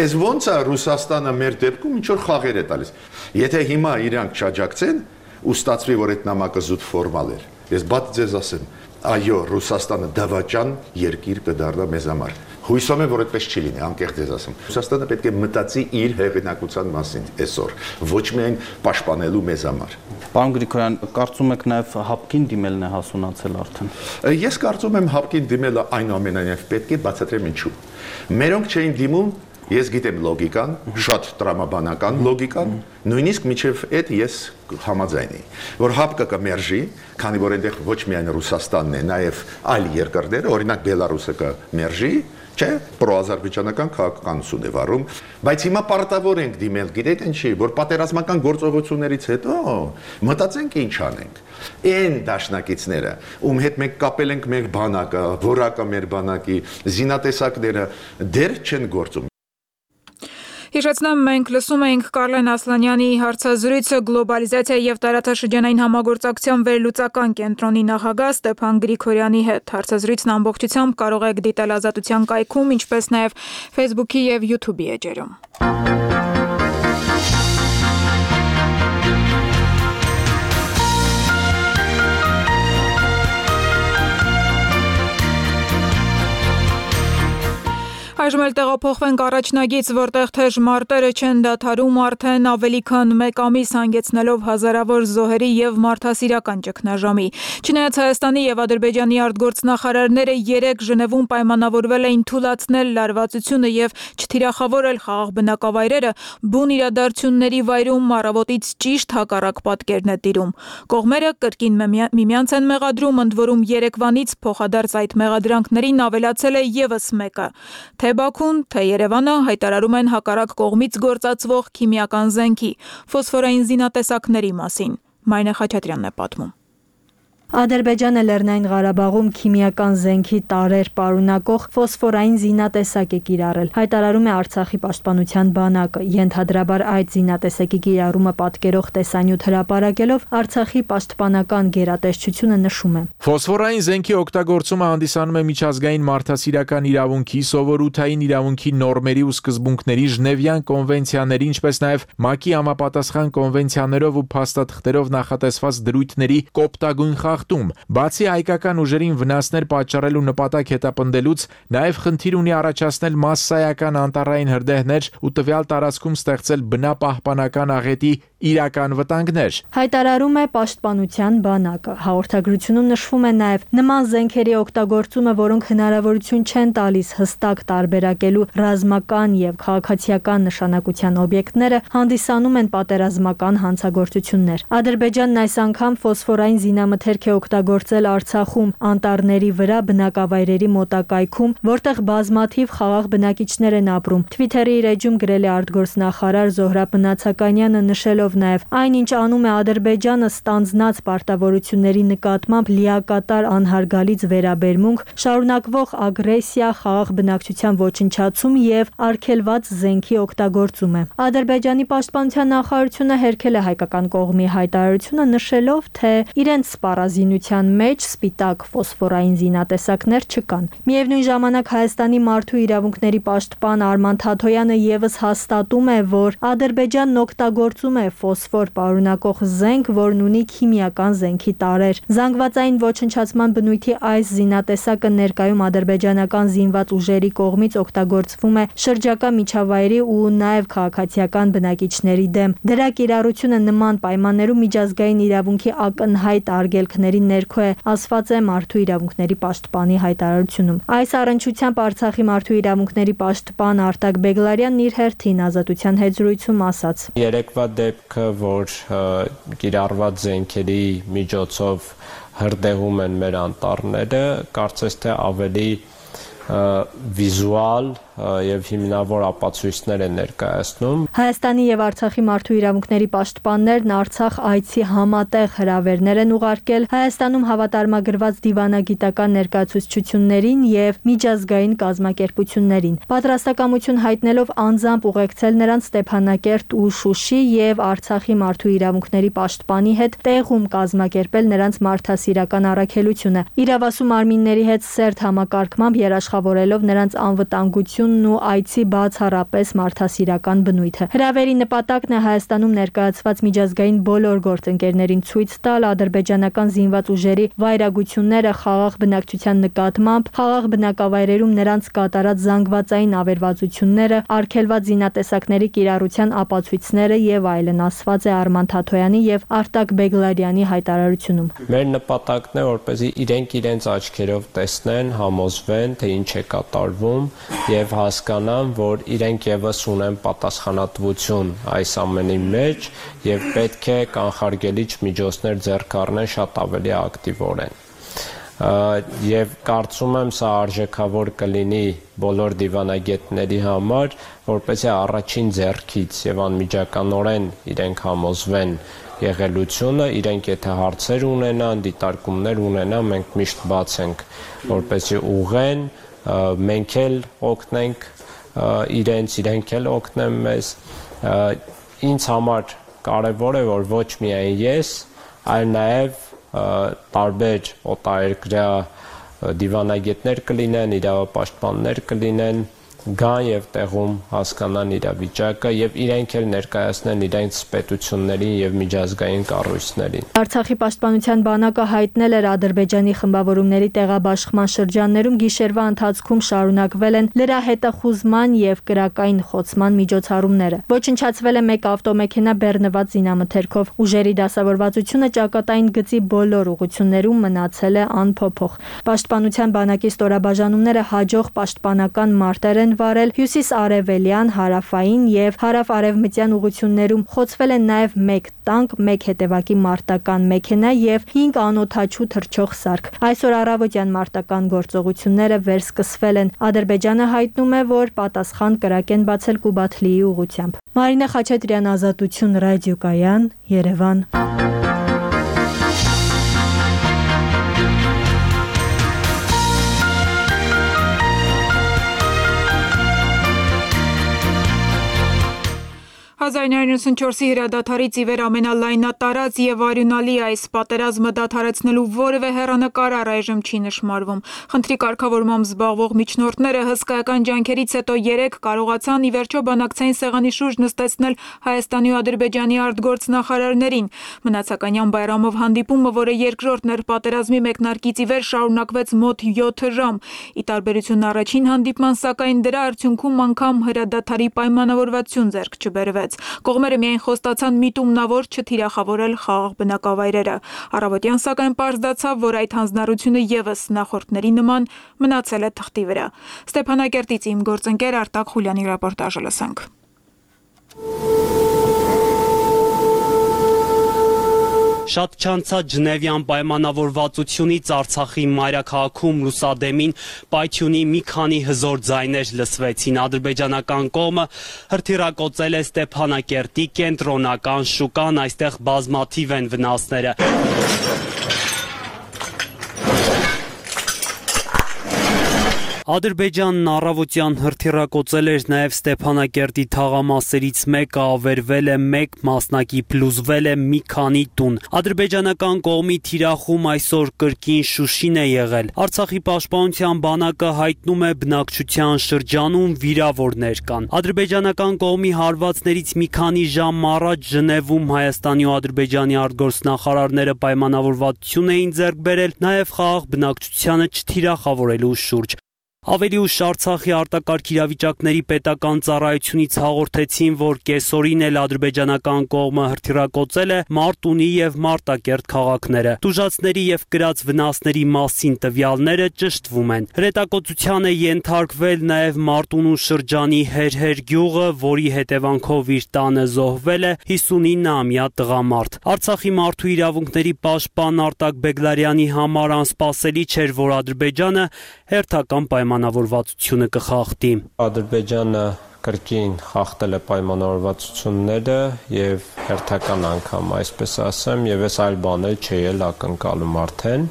Այս ոնց է Ռուսաստանը մեր դեպքում ինչ որ խաղեր է տալիս։ Եթե հիմա իրանք չաջակցեն, ու ստացվի, որ այդ նամակը զուտ ֆորմալ էր։ Ես բաց ձեզ ասեմ, այո, Ռուսաստանը դավաճան երկիր կդառնա մեզ համար։ Հույսով եմ, որ այդպես չի լինի, անկեղծ ես ասում։ Ռուսաստանը պետք է մտածի իր հեղինակության մասին այսօր, ոչ միայն պաշտպանելու մեզ համար։ Պարոն Գրիգորյան, կարծում եք նաև հապկին դիմելն է հասունացել արդեն։ Ես կարծում եմ հապկին դիմելը այնուամենայնիվ պետք է բացատրեմ ինչու։ Մերոնք չէին դիմում, ես գիտեմ լոգիկան, շատ տրամաբանական լոգիկան, նույնիսկ միջև այդ ես համաձայն եմ, որ հապկը կմերժի, քանի որ այնտեղ ոչ միայն Ռուսաստանն է, նաև այլ երկրները, օրինակ Բելարուսը կմերժի, չէ, պրոազերբայջանական քաղաքականություն է վարում, բայց հիմա պարտավոր ենք դիմել, գիտեք ինչի, որ պատերազմական գործողություններից հետո մտածենք ինչ անենք։ Այն դաշնակիցները, ում հետ մենք կապել ենք մեր բանակը, որակը մեր բանակի, զինատեսակները դեռ չեն գործում։ Հիշեցնեմ, մենք լսում էինք Կարլեն Ասլանյանի հարցազրույցը գլոբալիզացիա եւ տարածաշրջանային համագործակցության վերլուծական կենտրոնի նախագահ Ստեփան Գրիգորյանի հետ։ Հարցազրույցն ամբողջությամբ կարող եք դիտել Ազատության կայքում, ինչպես նաեւ Facebook-ի եւ YouTube-ի էջերում։ Այժմ էլ տեղափոխվենք առաջնագից, որտեղ թեժ մարտերը չեն դադարում արդեն ավելի քան 1 ամիս հանգեցնելով հազարավոր զոհերի եւ մարդասիրական ճգնաժամի։ Չնայած Հայաստանի եւ Ադրբեջանի արտգործնախարարները 3 Ժնևում պայմանավորվել էին թույլատնել լարվածությունը եւ չթիրախավորել խաղաղ բնակավայրերը, բուն իրադարձությունների վայրում առավոտից ճիշտ հակառակ պատկերն է տիրում։ Կողմերը կրկին միմյանց են մեղադրում, ընդ որում Երևանից փոխադարձ այդ մեղադրանքներին ավելացել է եւս մեկը։ Թե Բաքուն, թե Երևանը հայտարարում են հակառակ կողմից գործածվող քիմիական զենքի, ֆոսֆորային զինատեսակների մասին։ Մայնե Խաչատրյանն է պատմում։ Ադրբեջանը Լեռնային Ղարաբաղում քիմիական զենքի տարրեր պարունակող ֆոսֆորային զինատեսակ է կիրառել, հայտարարում է Արցախի պաշտպանության բանակը, ենթադրաբար այդ զինատեսակի կիրառումը պատկերող տեսանյութ հրապարակելով Արցախի պաշտպանական գերատեսչությունը նշում է. Ֆոսֆորային զենքի օգտագործումը հանդիսանում է միջազգային մարդասիրական իրավունքի, սովորութային իրավունքի նորմերի ու սկզբունքների, Ժնևյան կոնվենցիաների, ինչպես նաև ՄԱԿ-ի համապատասխան կոնվենցիաներով ու փաստաթղթերով նախատեսված դրույթների կոպտագույն Բացի հայկական ուժերին վնասներ պատճառելու նպատակ հետապնդելուց, նաև խնդիր ունի առաջացնել մասսայական անտառային հրդեհներ ու տվյալ տարածքում ստեղծել բնապահպանական աղետի իրական վտանգներ։ Հայտարարում է պաշտպանության բանակը։ Հաղորդագրությունում նշվում է նաև նման զենքերի օգտագործումը, որոնք հնարավորություն չեն տալիս հստակ տարբերակելու ռազմական եւ քաղաքացիական նշանակության օբյեկտները, հանդիսանում են պատերազմական հանցագործություններ։ Ադրբեջանն այս անգամ ֆոսֆորային զինամթերք է օգտագործել Արցախում անտառների վրա բնակավայրերի մոտակայքում, որտեղ բազմաթիվ խաղաղ բնակիչներ են ապրում։ Twitter-ի իր էջում գրել է արտգործնախարար Զոհրաբ Մնացականյանը, նշելով նաև այնինչ անում է Ադրբեջանը ստանձնած պարտավորությունների նկատմամբ լիակատար անհարգալից վերաբերմունք, շարունակվող ագրեսիա, խաղաղ բնակչության ոչնչացում եւ արգելված զենքի օգտագործում է։ Ադրբեջանի պաշտպանության նախարարությունը հերքել է հայկական կողմի հայտարարությունը, նշելով, թե իրենց սպառազինության մեջ սպիտակ ֆոսֆորային զինատեսակներ չկան։ Միևնույն ժամանակ Հայաստանի մարդու իրավունքների պաշտպան Արման Թաթոյանը եւս հաստատում է, որ Ադրբեջանն օգտագործում է ֆոսֆոր պարունակող զենք, որն ունի քիմիական զենքի տարրեր։ Զանգվածային ոչնչացման բնույթի այս զինատեսակը ներկայում ադրբեջանական զինված ուժերի կողմից օգտագործվում է շրջակա միջավայրի ու նաև քաղաքացիական բնակիչների դեմ։ Դրա կիրառությունը նման պայմաններում միջազգային իրավունքի ակնհայտ արգելքների ներքո է, ասված է մարդու իրավունքների պաշտպանի հայտարարությունում։ Այս առնչությամբ Արցախի մարդու իրավունքների պաշտպան Արտակ Բեգլարյանն իր հերթին Ազատության հետ զրույցում ասաց. Երեկվա դեպքը, որ կիրառված զենքերի միջոցով հրդեհում են մեր անտառները, կարծես թե ավելի վիզուալ եւ հիմնավոր ապացույցներ են ներկայացնում։ Հայաստանի եւ Արցախի մարդու իրավունքների պաշտպաններն Արցախ այցի համատեղ հրավերներ են ուղարկել Հայաստանում հավատարմագրված դիվանագիտական ներկայացուցչություններին եւ միջազգային կազմակերպություններին։ Պատրաստակամություն հայտնելով անձամբ ուղեկցել նրանց Ստեփանակերտ ու Շուշի եւ Արցախի մարդու իրավունքների պաշտպանի հետ տեղում կազմակերպել նրանց մարդասիրական առաքելությունը։ Իրավասու մարմինների հետ սերտ համակարգմամբ երաշխավորելով նրանց անվտանգություն տնտեսությունն ու այցի բացառապես մարդասիրական բնույթը։ Հրավերի նպատակն է Հայաստանում ներկայացված միջազգային բոլոր գործընկերներին ցույց տալ ադրբեջանական զինված ուժերի վայրագությունները խաղաղ բնակչության նկատմամբ, խաղաղ բնակավայրերում նրանց կատարած զանգվածային ավերվածությունները, արգելված զինատեսակների կիրառության ապացույցները եւ այլն, ասված է Արման Թաթոյանի եւ Արտակ Բեգլարյանի հայտարարությունում։ Մեր նպատակն է, որպեսզի իրենք իրենց աչքերով տեսնեն, համոզվեն, թե ինչ է կատարվում եւ հասկանան, որ իրենք եւս ունեն պատասխանատվություն այս ամենի մեջ եւ պետք է կանխարգելիչ միջոցներ ձեռք առնեն շատ ավելի ակտիվորեն։ Եվ կարծում եմ սա արժեքավոր կլինի բոլոր դիվանագետների համար, որպեսզի առաջին ձեռքից եւ անմիջականորեն իրենք համոզվեն եղելությունը, իրենք եթե հարցեր ունենան, դիտարկումներ ունենան, մենք միշտ բաց ենք, որպեսզի ուղղեն, մենք էլ օգնենք իրենք էլ օգնեն մեզ։ Ինձ համար կարևոր է, որ ոչ միայն ես, այլ նաեւ տարբեր օտարերկրյա դիվանագետներ կլինեն, իրավապաշտպաններ կլինեն, գան եւ տեղում հասկանան իրավիճակը եւ իրենք էլ ներկայացնեն իրենց պետություններին եւ միջազգային կառույցներին։ Արցախի պաշտպանության բանակը հայտնել էր Ադրբեջանի խմբավորումների տեղաբաշխման շրջաններում գիշերվա ընթացքում շարունակվել են լրահետախուզման եւ կրակային խոցման միջոցառումները։ Ոչնչացվել է մեկ ավտոմեքենա բեռնված զինամթերքով։ Ուժերի դասավորվածությունը ճակատային գծի բոլոր ուղություններում մնացել է անփոփոխ։ Պաշտպանության բանակի ստորաբաժանումները հաջող պաշտպանական մարտեր են վարել հյուսիս-արևելյան, հարավային եւ հարավ-արևմտյան ուղություններում, խոցվել են նաեւ 1 տանկ, 1 հետևակի մարտական մեքենա եւ 5 անօդաչու թռչող սարք։ Այսօր առավոտյան մարտական գործողությունները վերսկսվել են։ Ադրբեջանը հայտնում է, որ պատասխան կրակ են բացել Կուբաթլիի ուղությամբ։ Մարինա Խաչատրյան, Ազատություն ռադիոկայան, Երևան։ «1994-ի հրադադարից ի վեր ամենալայնատարած եւ արյունալի այս պատերազմը դադարեցնելու որևէ հեռանկար առայժմ չի նշмарվում։ Խնդրի կարգավորմամբ զբաղվող միջնորդները հսկայական ջանքերից հետո 3 կարողացան ի վերջո բանակցային սեղանի շուրջ նստեցնել Հայաստանի ու Ադրբեջանի արտգործնախարարներին։ Մնացականյան Բայրամով հանդիպումը, որը երկրորդ ներպատերազմի մեկնարկից ի վեր շարունակվեց մոտ 7 ժամ։ Ի տարբերություն առաջին հանդիպման, սակայն դրա արդյունքում անգամ հրադադարի պայմանավորվածություն ձեռք չբերվեց։ Կողմերը միայն խոստացան միտումնավոր չթիրախավորել խաղաղ բնակավայրերը։ Առավոտյան սակայն պարզ դարձավ, որ այդ հանձնառությունը եւս նախորդների նման մնացել է թղթի վրա։ Ստեփանակերտից իմ գործընկեր Արտակ Խուլյանի ռեպորտաժը լսենք։ Շատ չանցած Ժնևյան պայմանավորվածությունից Արցախի մայրաքաղաքում լուսադեմին պայթյունի մի քանի հզոր ձայներ լսվեցին։ Ադրբեջանական կողմը հրթիռակոծել է Ստեփանակերտի կենտրոնական շուկան, այստեղ բազմաթիվ են վնասները։ Ադրբեջանն առավոտյան հրթիռակոծել էր նաև Ստեփանակերտի թաղամասերից մեկը, ավերվել է 1 մասնակի, փլուզվել է մի քանի տուն։ Ադրբեջանական կողմի թիրախում այսօր կրկին Շուշին է եղել։ Արցախի պաշտպանության բանակը հայտնում է բնակչության շրջանում վիրավորներ կան։ Ադրբեջանական կողմի հարվածներից մի քանի ժամ առաջ Ժնևում Հայաստանի ու Ադրբեջանի արտգործնախարարները պայմանավորվածություն էին ձեռք բերել նաև խաղաղ բնակչությանը չթիրախավորելու շուրջ։ Ավելի ուշ Արցախի արտակարգ իրավիճակների պետական ծառայությունից հաղորդեցին, որ կեսօրին էլ ադրբեջանական կողմը հրթիռակոծել է Մարտունի եւ Մարտակերտ քաղաքները։ Տուժածների եւ կրած վնասների մասին տվյալները ճշտվում են։ Հրետակոծության է ենթարկվել նաեւ Մարտունու շրջանի Հերհեր գյուղը, որի հետևանքով իր տանը զոհվել է 59-ամյա տղամարդ։ Արցախի մարդու իրավունքների պաշտպան Արտակ Բեգլարյանի համար անսպասելի չէր, որ Ադրբեջանը հերթական պայմանավորվածությունը կխախտի։ Ադրբեջանը կրկին խախտել է պայմանավորվածությունները եւ հերթական անգամ, այսպես ասեմ, եւ այս այլ բաներ չի էլ ակնկալում արդեն։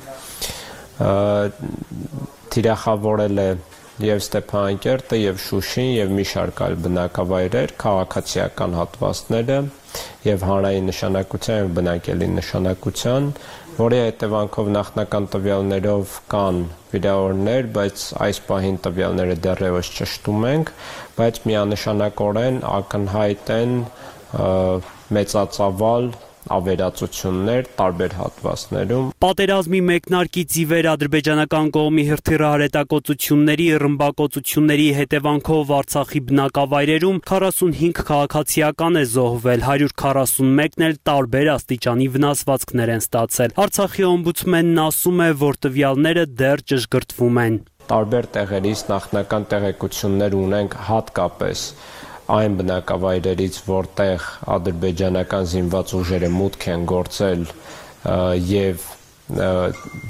Թիրախավորել է եւ Ստեփանակերտը եւ Շուշին եւ մի շարք այլ բնակավայրեր, քաղաքացիական հատվածները եւ հանրային նշանակության եւ բնակելի նշանակության, որի հետևանքով նախնական տվյալներով կան վիրավորներ, բայց այս պահին տվյալները դեռևս ճշտում ենք, բայց միանշանակորեն ակնհայտ են մեծածավալ ավերածություններ տարբեր հատվածներում։ Պատերազմի մեկնարկից ի վեր ադրբեջանական կողմի հրթիռահրետակոծությունների, ռմբակոծությունների հետևանքով Արցախի բնակավայրերում 45 քաղաքացիական է զոհվել, 141-ն էլ տարբեր աստիճանի վնասվածքներ են ստացել։ Արցախի օմբուդսմենն ասում է, որ տվյալները դեռ ճշգրտվում են։ Տարբեր տեղերից նախնական տեղեկություններ ունենք հատկապես այն բնակավայրերից, որտեղ ադրբեջանական զինված ուժերը մուտք են գործել եւ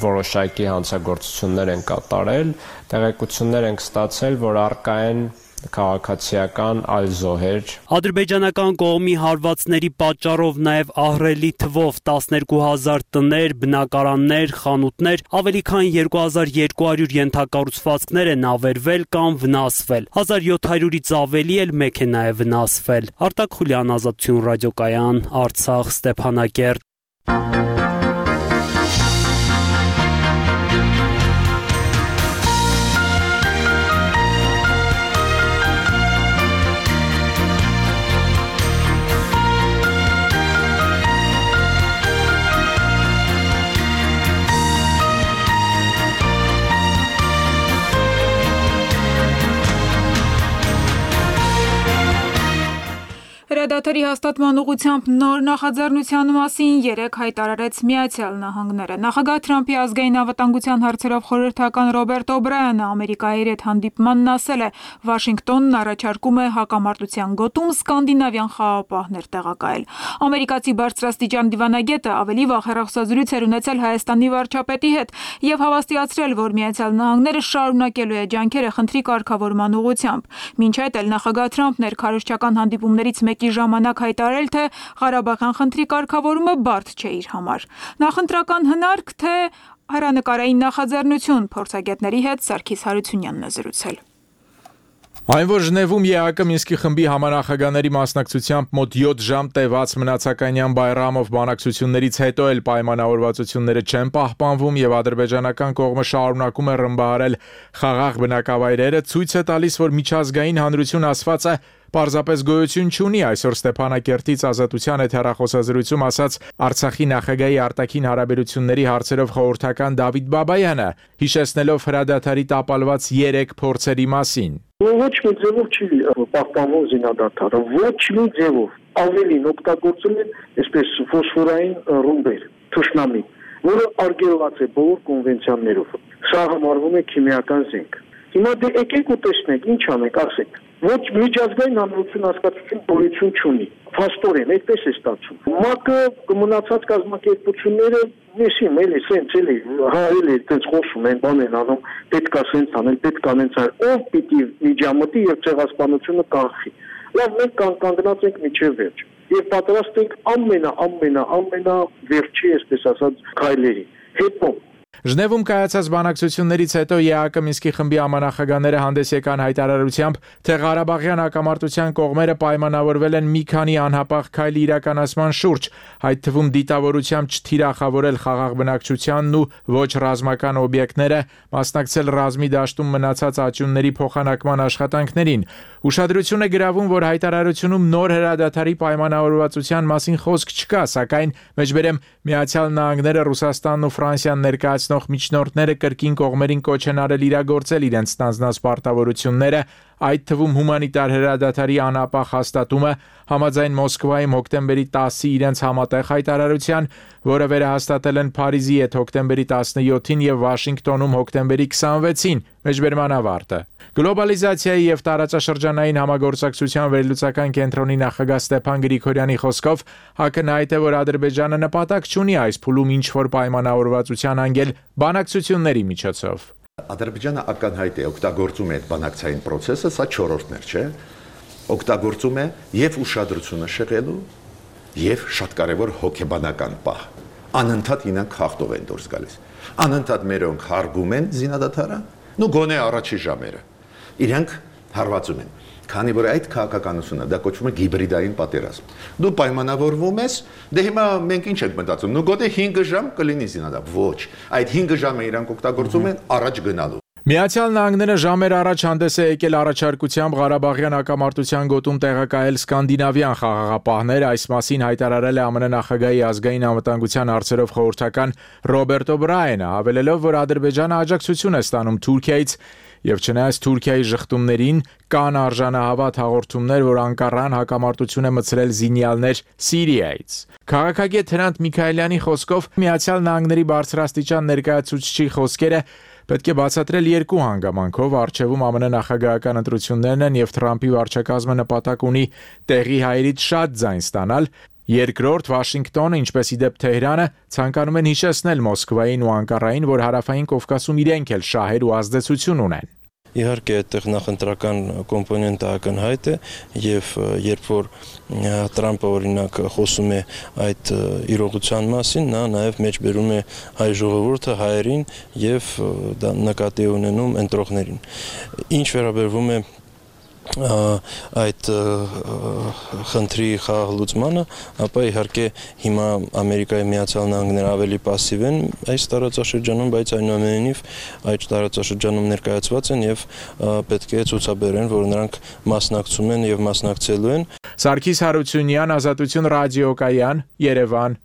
որոշակի հանցագործություններ են կատարել, տեղեկություններ ենք ստացել, որ առկա են քաղաքացիական այլ զոհեր։ Ադրբեջանական կողմի հարվածների պատճառով նաև ահռելի թվով 12,000 տներ, բնակարաններ, խանութներ, ավելի քան 2200 ենթակառուցվածքներ են ավերվել կամ վնասվել։ 1700-ից ավելի էլ մեկ է նաև վնասվել։ Արտակ Խուլյան, Ազատություն ռադիոկայան, Արցախ, Ստեփանակերտ։ Հրադադարի հաստատման ուղղությամբ նոր նախաձեռնության մասին երեկ հայտարարեց Միացյալ Նահանգները։ Նախագահ Թրամփի ազգային անվտանգության հարցերով խորհրդական Ռոբերտ Օբրայանը Ամերիկայի հետ հանդիպմանն ասել է, Վաշինգտոնն առաջարկում է հակամարտության գոտում սկանդինավյան խաղապահներ տեղակայել։ Ամերիկացի բարձրաստիճան դիվանագետը ավելի վաղ հեռախոսազրույց էր ունեցել Հայաստանի վարչապետի հետ եւ հավաստիացրել, որ Միացյալ Նահանգները շարունակելու է ջանքերը խնդրի կարգավորման ուղղությամբ։ Մինչ այդ էլ նախագահ Թրամփն էր քարոզչական հանդիպումներից մեկի ժամանակ հայտարարել, թե Ղարաբաղյան խնդրի կարգավորումը բարդ չէ իր համար։ Նախընտրական հնարք, թե հեռանկարային նախաձեռնություն, փորձագետների հետ Սարգիս Հարությունյանն է զրուցել։ Այն, որ Ժնևում ԵԱԿ Մինսկի խմբի համանախագահների մասնակցությամբ մոտ 7 ժամ տևած մնացականյան Բայրամով բանակցություններից հետո էլ պայմանավորվածությունները չեն պահպանվում եւ ադրբեջանական կողմը շարունակում է ռմբահարել խաղաղ բնակավայրերը, ցույց է տալիս, որ միջազգային հանրություն ասվածը պարզապես գոյություն չունի։ Այսօր Ստեփանակերտից Ազատության հետ հեռախոսազրույցում ասաց Արցախի նախագահի արտաքին հարաբերությունների հարցերով խորհրդական Դավիթ Բաբայանը, հիշեցնելով հրադադարի տապալված 3 փորձերի մասին։ Ոչ մի ձևով չի պահպանվում զինադադարը, ոչ մի ձևով։ Ավելին օգտագործել են այսպես ֆոսֆորային ռումբեր, թշնամի, որը արգելված է բոլոր կոնվենցիաներով։ Սա համարվում է քիմիական զենք։ Հիմա դե եկեք ու տեսնենք, ինչ անենք, ասենք։ Ոչ միջազգային հանրություն հասկացություն գոյություն չունի։ Փաստորեն այդպես է ստացվում։ ՄԱԿ-ը մնացած կազմակերպությունները նեսիմ էլի սենց էլի հայել է այդպես խոսում են, բան են անում, պետք է սենց անել, պետք է անենց այլ։ Ով պիտի միջամտի եւ ցեղասպանությունը կանխի։ Լավ, մենք կանգնած ենք միջև վերջ եւ պատրաստ ենք ամենա վերջի, այսպես ասած, քայլերի։ Հետո Ժնևում կայացած բանակցություններից հետո ԵԱԿ Մինսկի խմբի համանախագահները հանդես եկան հայտարարությամբ, թե Ղարաբաղյան հակամարտության կողմերը պայմանավորվել են մի քանի անհապաղ քայլի իրականացման շուրջ, այդ թվում դիտավորությամբ չթիրախավորել խաղաղ բնակչությանն ու ոչ ռազմական օբյեկտները, մասնակցել ռազմի դաշտում մնացած աճյունների փոխանակման աշխատանքներին։ Ուշադրություն է գրավում, որ հայտարարությունում նոր հրադադարի պայմանավորվածության մասին խոսք չկա, սակայն մեջբերեմ Միացյալ Նահանգները, Ռուսաստանն ու Ֆրանսիան ներկայացնող միջնորդները կրկին կողմերին կոչ են արել իրագործել իրենց ստանձնած պարտավորությունները, այդ թվում հումանիտար հրադադարի անապահ հաստատումը համաձայն Մոսկվայում հոկտեմբերի 10-ի իրենց համատեղ հայտարարության, որը վերահաստատել են Փարիզի հետ հոկտեմբերի 17-ին եւ Վաշինգտոնում հոկտեմբերի 26-ին, մեջբերման ավարտը։ Գլոբալիզացիայի եւ տարածաշրջանային համագործակցության վերլուծական կենտրոնի նախագահ Ստեփան Գրիգորյանի խոսքով ակնհայտ է, որ Ադրբեջանը նպատակ չունի այս փուլում ինչ-որ պայմանավորվածության անգել բանակցությունների միջոցով։ Ադրբեջանը ակնհայտ է օգտագործում է այդ բանակցային process-ը, սա 4-րդն չէ, օգտագործում է եւ ուշադրությունը շեղելու եւ շատ կարեւոր հոգեբանական պահ։ Անընդհատ ինքն խախտով են դուրս գալիս։ Անընդհատ մերոնք հարգում են զինադադարը, նո գոնե առաջի ժամերը։ Իրանք հարվածում են։ Քանի որ այդ քաղաքականությունը դա կոչվում է հիբրիդային պատերազմ։ Դու պայմանավորվում ես, դե հիմա մենք ինչ ենք մտածում, նու գոտե 5 ժամ կլինի զինադապ։ Ոչ, այդ 5 ժամը իրանք օգտագործում են առաջ գնալու։ Միացյալ Նահանգները ժամեր առաջ հանդես է եկել առաջարկությամբ Ղարաբաղյան հակամարտության գոտում տեղակայել սկանդինավյան խաղաղապահներ, այս մասին հայտարարել է ԱՄՆ նախագահի ազգային անվտանգության հարցերով խորհրդական Ռոբերտ Օբրայենը, հավելելով, որ Ադրբեջանը աջակցություն է ստանում Թուրքիայից եւ չնայած Թուրքիայի շղթումներին կան արժանահավատ հաղորդումներ, որ Անկարան հակամարտություն է մցրել զինյալներ Սիրիայից։ Քաղաքագետ Հրանտ Միքայելյանի խոսքով Միացյալ Նահանգների բարձրաստիճան ներկայացուցչի խոսքերը պետք է բացատրել երկու հանգամանքով, առջևում ԱՄՆ նախագահական ընտրություններն են եւ Թրամփի վարչակազմը նպատակ ունի տեղի հայերից շատ ձայն ստանալ, երկրորդ Վաշինգտոնը, ինչպես իդեպ Թեհրանը, ցանկանում են հիշեցնել Մոսկվային ու Անկարային, որ հարավային Կովկասում իրենք էլ շահեր ու ազդեցություն ունեն։ Իհարկե այդտեղ նախընտրական կոմպոնենտը ակնհայտ է եւ երբ որ Տրամփը օրինակ խոսում է այդ իրողության մասին, նա նաեւ մեջբերում է հայ ժողովուրդը, հայերին եւ դա նկատի ունենում ընտրողներին։ Ինչ վերաբերվում է այդ խնդրի խաղաղլուծմանը, ապա իհարկե հիմա Ամերիկայի Միացյալ Նահանգները ավելի пассив են այս տարածաշրջանում, բայց այնուամենայնիվ այդ տարածաշրջանում ներկայացված են եւ պետք է ցուցաբերեն, որ նրանք մասնակցում են եւ մասնակցելու են։ Սարգիս Հարությունյան, Ազատություն ռադիոկայան, Երևան։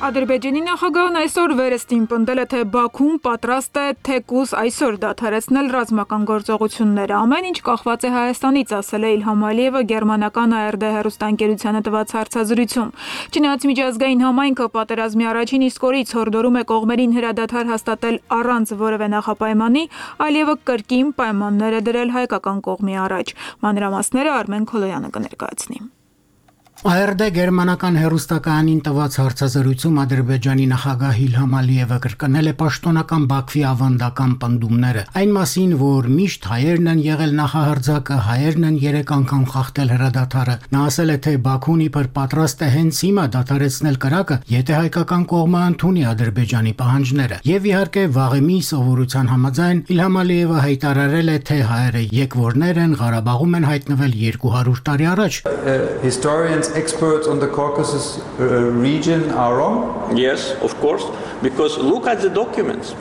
Ադրբեջանի նախագահն այսօր վերստին պնդել է, թե Բաքուն պատրաստ է թեկուզ այսօր դադարեցնել ռազմական գործողությունները։ Ամեն ինչ կախված է Հայաստանից, ասել է Իլհամ Ալիևը գերմանական ARD հեռուստաընկերությանը տված հարցազրույցում։ Չնայած միջազգային համայնքը պատերազմի առաջին իսկ օրից հորդորում է կողմերին հրադադար հաստատել առանց որևէ նախապայմանի, Ալիևը կրկին պայմաններ է դրել հայկական կողմի առաջ։ Մանրամասները Արմեն Քոլոյանը կներկայացնի։ ARD գերմանական հեռուստակայանին տված հարցազրույցում Ադրբեջանի նախագահ Իլհամ Ալիևը կրկնել է պաշտոնական Բաքվի ավանդական պնդումները, այն մասին, որ միշտ հայերն են եղել նախահարձակը, հայերն են 3 անգամ խախտել հրադադարը։ Նա ասել է, թե Բաքուն իբր պատրաստ է հենց հիմա դադարեցնել կրակը, եթե հայկական կողմը ընդունի Ադրբեջանի պահանջները։ Եվ իհարկե վաղեմի սովորության համաձայն Իլհամ Ալիևը հայտարարել է, թե հայերը եկվորներ են, Ղարաբաղում են հայտնվել 200 տարի առաջ։ Experts on the Caucasus region are wrong? Yes, of course, because look at the documents.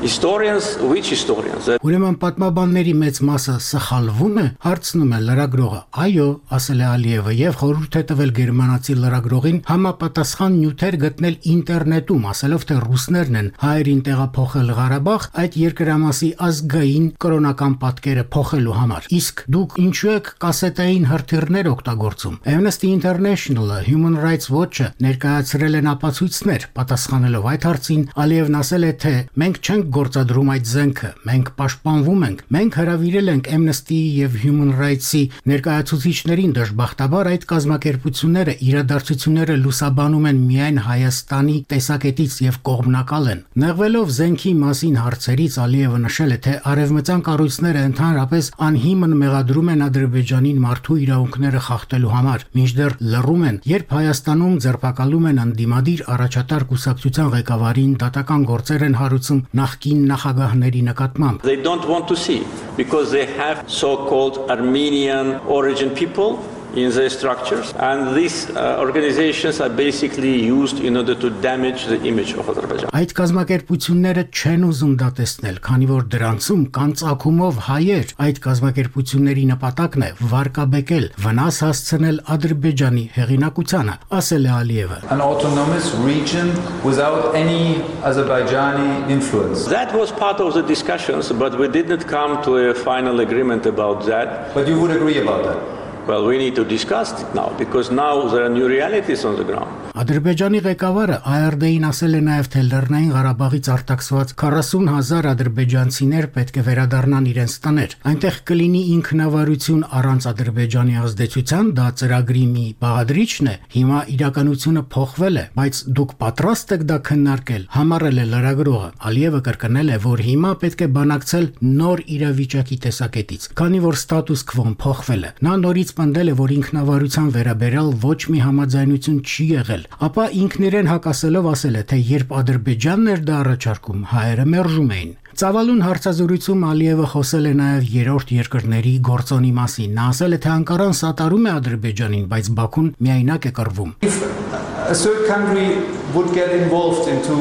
Historians, which historians? Ուրեմն պատմաբանների մեծ մասը սխալվում է, հարցնում է լրագրողը։ Այո, ասել է Ալիևը եւ խորհուրդ է տվել գերմանացի լրագրողին համապատասխան նյութեր գտնել ինտերնետում, ասելով թե ռուսներն են հայերին տեղափոխել Ղարաբաղ այդ երկրամասի ազգային կրոնական պատկերը փոխելու համար։ Իսկ դուք ինչու եք կասետային հրթիռներ օգտագործում։ Amnesty International-ը, Human Rights Watch-ը ներկայացրել են ապացույցներ, պատասխանելով այդ հարցին Ալիևն ասել է, թե մենք չենք գործադրում այդ զենքը, մենք պաշտպանվում ենք, մենք հրավիրել ենք Amnesty-ի եւ Human Rights-ի ներկայացուցիչներին, դժբախտաբար այդ կազմակերպությունները իրադարձությունները լուսաբանում են միայն Հայաստանի տեսակետից եւ կողմնակալ են։ Նեղվելով զենքի մասին հարցերից Ալիևը նշել է, թե արևմտյան կառույցները ընդհանրապես անհիմն մեղադրում են Ադրբեջանին մարդու իրավունքները խախտելու համար, մինչդեռ լռում են, երբ Հայաստանում ձերբակալում են անդիմադիր առաջատար կուսակցության ղեկավարին, դատական գործեր են հարուցում նախկին նախագահների նկատմամբ։ They don't want to see because they have so-called Armenian origin people in their structures and these organizations are basically used in order to damage the image of Azerbaijan. Այդ կազմակերպությունները չեն ուզում դա տեսնել, քանի որ դրանցում կան ծագումով հայեր։ Այդ կազմակերպությունների նպատակն է վարկաբեկել, վնաս հասցնել Ադրբեջանի հեղինակությանը, ասել է Ալիևը։ An autonomous region without any Azerbaijani influence. That was part of the discussions, but we didn't come to a final agreement about that. But you would agree about that? Well, we need to discuss it now because now there are new realities on the ground. Ադրբեջանի ղեկավարը ARD-ին ասել է նաև, թե Լեռնային Ղարաբաղից արտաքսված 40,000 ադրբեջանցիներ պետք է վերադառնան իրենց տներ։ Այնտեղ կլինի ինքնավարություն առանց Ադրբեջանի ազդեցության, դա ծրագրի մի բաղադրիչն է։ Հիմա իրականությունը փոխվել է, բայց դուք պատրաստ եք դա քննարկել, համառել է լրագրողը։ Ալիևը կրկնել է, որ հիմա պետք է բանակցել նոր իրավիճակի տեսակետից, քանի որ ստատուս քվոն փոխվել է։ Նա նորից պնդել է, որ ինքնավարության վերաբերյալ ոչ մի համաձայնություն չի եղել, ապա ինքն իրեն հակասելով ասել է, թե երբ Ադրբեջանն էր դա առաջարկում, հայերը մերժում էին։ Ծավալուն հարցազրույցում Ալիևը խոսել է նաև երրորդ երկրների գործոնի մասին։ Նա ասել է, թե Անկարան սատարում է Ադրբեջանին, բայց Բաքուն միայնակ է կռվում։ If a third country would get involved into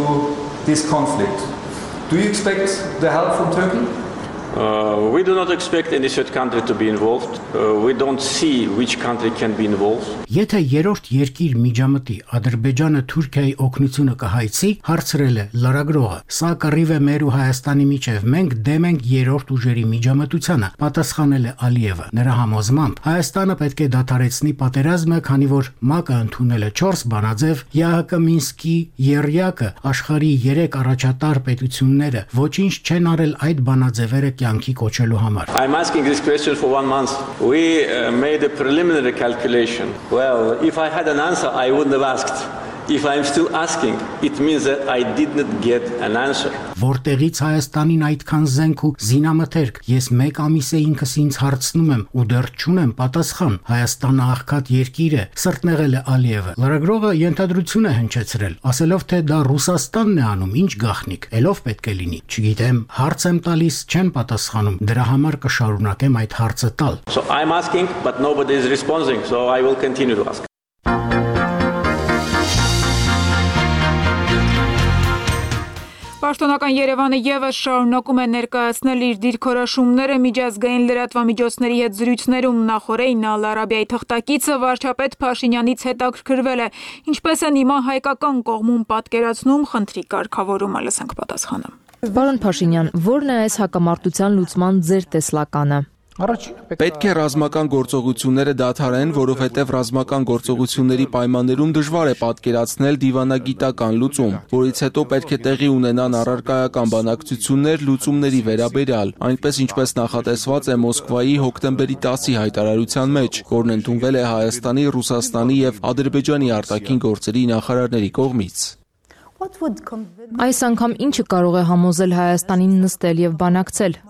this conflict, do you expect the help from Turkey? We do not expect any third country to be involved. We don't see which country can be involved. Եթե երրորդ երկիր միջամտի Ադրբեջանը Թուրքիայի օգնությունը կհայցի, հարցրել է լրագրողը։ Սա կռիվ է մեր ու Հայաստանի միջև։ Մենք դեմ ենք երրորդ ուժերի միջամտությանը, պատասխանել է Ալիևը։ Նրա համոզմամբ Հայաստանը պետք է դադարեցնի պատերազմը, քանի որ ՄԱԿ-ը ընդունել է 4 բանաձև, ԵԱՀԿ Մինսկի եռյակը աշխարհի 3 առաջատար պետությունները ոչինչ չեն արել այդ բանաձևերը կյանքի կոչելու համար։ I'm asking this question for 1 month. We made a preliminary calculation. Well, if I had an answer, I wouldn't have asked. If I'm still asking, it means that I did not get an answer. Որտեղից Հայաստանին այդքան զենք ու զինամթերք, ես 1 ամիս է ինքս ինձ հարցնում եմ ու դեռ չունեմ պատասխան։ Հայաստանը աղքատ երկիր է, սրտնեղել է Ալիևը։ Լրագրողը ենթադրություն է հնչեցրել, ասելով, թե դա Ռուսաստանն է անում, ինչ գաղտնիք, ելով պետք է լինի։ Չգիտեմ, հարց եմ տալիս, չեն պատասխանում։ Դրա համար կշարունակեմ այդ հարցը տալ։ So I'm asking, but nobody is responding, so I will continue to ask. Պաշտոնական Երևանը եւս շարունակում է ներկայացնել իր դիրքորոշումները միջազգային լրատվամիջոցների հետ զրույցներում նախորդին Ալ Արաբիայի թղթակիցը վարչապետ Փաշինյանից հետաքրքրվել է ինչպես են հիմա հայկական կողմում պատկերացնում խնդրի կարգավորումը, լսենք պատասխանը։ Պարոն Փաշինյան, ո՞րն է այս հակամարտության լուծման ձեր տեսլականը։ Պետք է ռազմական գործողությունները դադարեն, որովհետև ռազմական գործողությունների պայմաններում դժվար է պատկերացնել դիվանագիտական լուծում, որից հետո պետք է տեղի ունենան առարկայական բանակցություններ լուծումների վերաբերյալ, այնպես ինչպես նախատեսված է Մոսկվայի հոկտեմբերի 10-ի հայտարարության մեջ, որն ընդունվել է Հայաստանի, Ռուսաստանի եւ Ադրբեջանի արտաքին գործերի նախարարների կողմից։ Այս անգամ ինչը կարող է համոզել Հայաստանին նստել եւ բանակցել։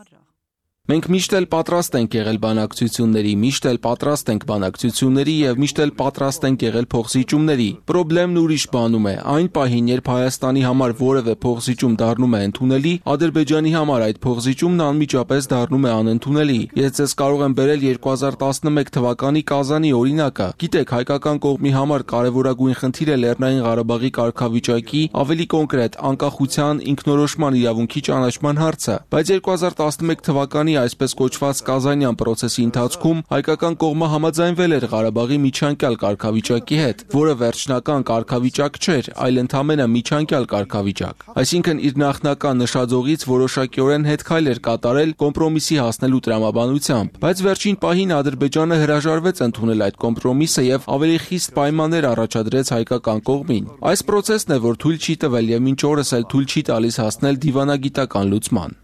Մենք միշտ էլ պատրաստ ենք եղել բանակցությունների, միշտ էլ պատրաստ ենք բանակցությունների եւ միշտ էլ պատրաստ ենք եղել փոխզիջումների։ Պրոբլեմն ուրիշ բանում է։ Այն պահին, երբ Հայաստանի համար որևէ փոխզիջում դառնում է ընդունելի, Ադրբեջանի համար այդ փոխզիջումն անմիջապես դառնում է անընդունելի։ Ես ձեզ կարող եմ բերել 2011 թվականի Կազանի օրինակը։ Գիտեք, հայկական կողմի համար կարևորագույն խնդիր է Լեռնային Ղարաբաղի կարգավիճակի, ավելի կոնկրետ, անկախության, ինքնորոշման իրավունքի ճանաչման հարցը։ Բայց 2011 թվականի այսպես կոչված Կազանյան process-ի ընթացքում հայկական կողմը համաձայնվել էր Ղարաբաղի միջանկյալ կարգավիճակի հետ, որը վերջնական կարգավիճակ չէր, այլ ընդամենը միջանկյալ կարգավիճակ։ Այսինքն իր նախնական նշաձողից որոշակիորեն հետքայլ էր կատարել կոմպրոմիսի հասնելու տրամաբանությամբ, բայց վերջին պահին Ադրբեջանը հրաժարվեց ընդունել այդ կոմպրոմիսը եւ ավելի խիստ պայմաններ առաջադրեց հայկական կողմին։ Այս process-ն է, որ թույլ չի տվել եւ մինչ օրս էլ թույլ չի տալիս հասնել դիվանագիտական լուծման։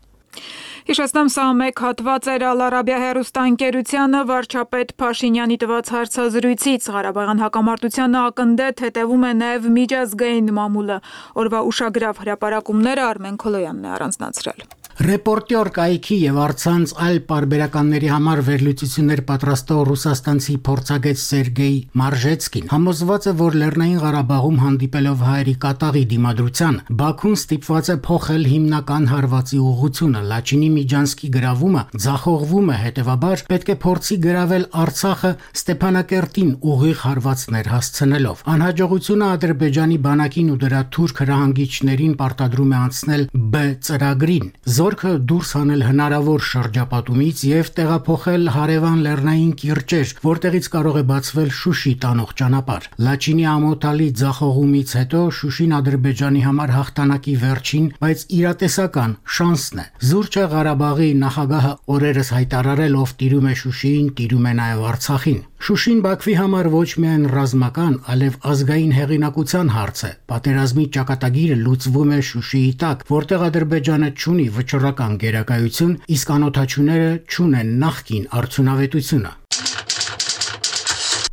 Հիշեցնեմ, սա մեկ հատված էր Ալ Արաբիա հեռուստաընկերությանը վարչապետ Փաշինյանի տված հարցազրույցից։ Ղարաբաղյան հակամարտությանը ակնդետ հետևում է նաև միջազգային մամուլը։ Օրվա ուշագրավ հրապարակումները Արմեն Քոլոյանն է առանձնացրել։ Ռեպորտյոր կայքի եւ առցանց այլ պարբերականների համար վերլուծություններ պատրաստող ռուսաստանցի փորձագետ Սերգեյ Մարժեցկին համոզված է, որ Լեռնային Ղարաբաղում հանդիպելով հայերի կատաղի դիմադրության, Բաքուն ստիպված է փոխել հիմնական հարվածի ուղղությունը։ Լաչինի Միջանսկի գրավումը ձախողվում է, հետևաբար պետք է փորձի գրավել Արցախը Ստեփանակերտին ուղիղ հարվածներ հասցնելով։ Անհաջողությունը Ադրբեջանի բանակին ու դրա թուրք հրահանգիչներին պարտադրում է անցնել B ծրագրին։ Զորքը դուրս հանել հնարավոր շրջապատումից եւ տեղափոխել հարևան լեռնային կիրճեր, որտեղից կարող է բացվել Շուշի տանող ճանապարհ։ Լաչինի ամոթալի ձախողումից հետո Շուշին Ադրբեջանի համար հաղթանակի վերջին, բայց իրատեսական շանսն է։ Զուրճը Ղարաբաղի նախագահը օրերս հայտարարել, ով տիրում է Շուշիին, տիրում է նաեւ Արցախին։ Շուշին Բաքվի համար ոչ միայն ռազմական, այլև ազգային հեղինակության հարց է։ Պատերազմի ճակատագիրը լուծվում է Շուշիի տակ, որտեղ Ադրբեջանը չունի վճռական գերակայություն, իսկ անօթաչուները չունեն նախկին արդյունավետությունը։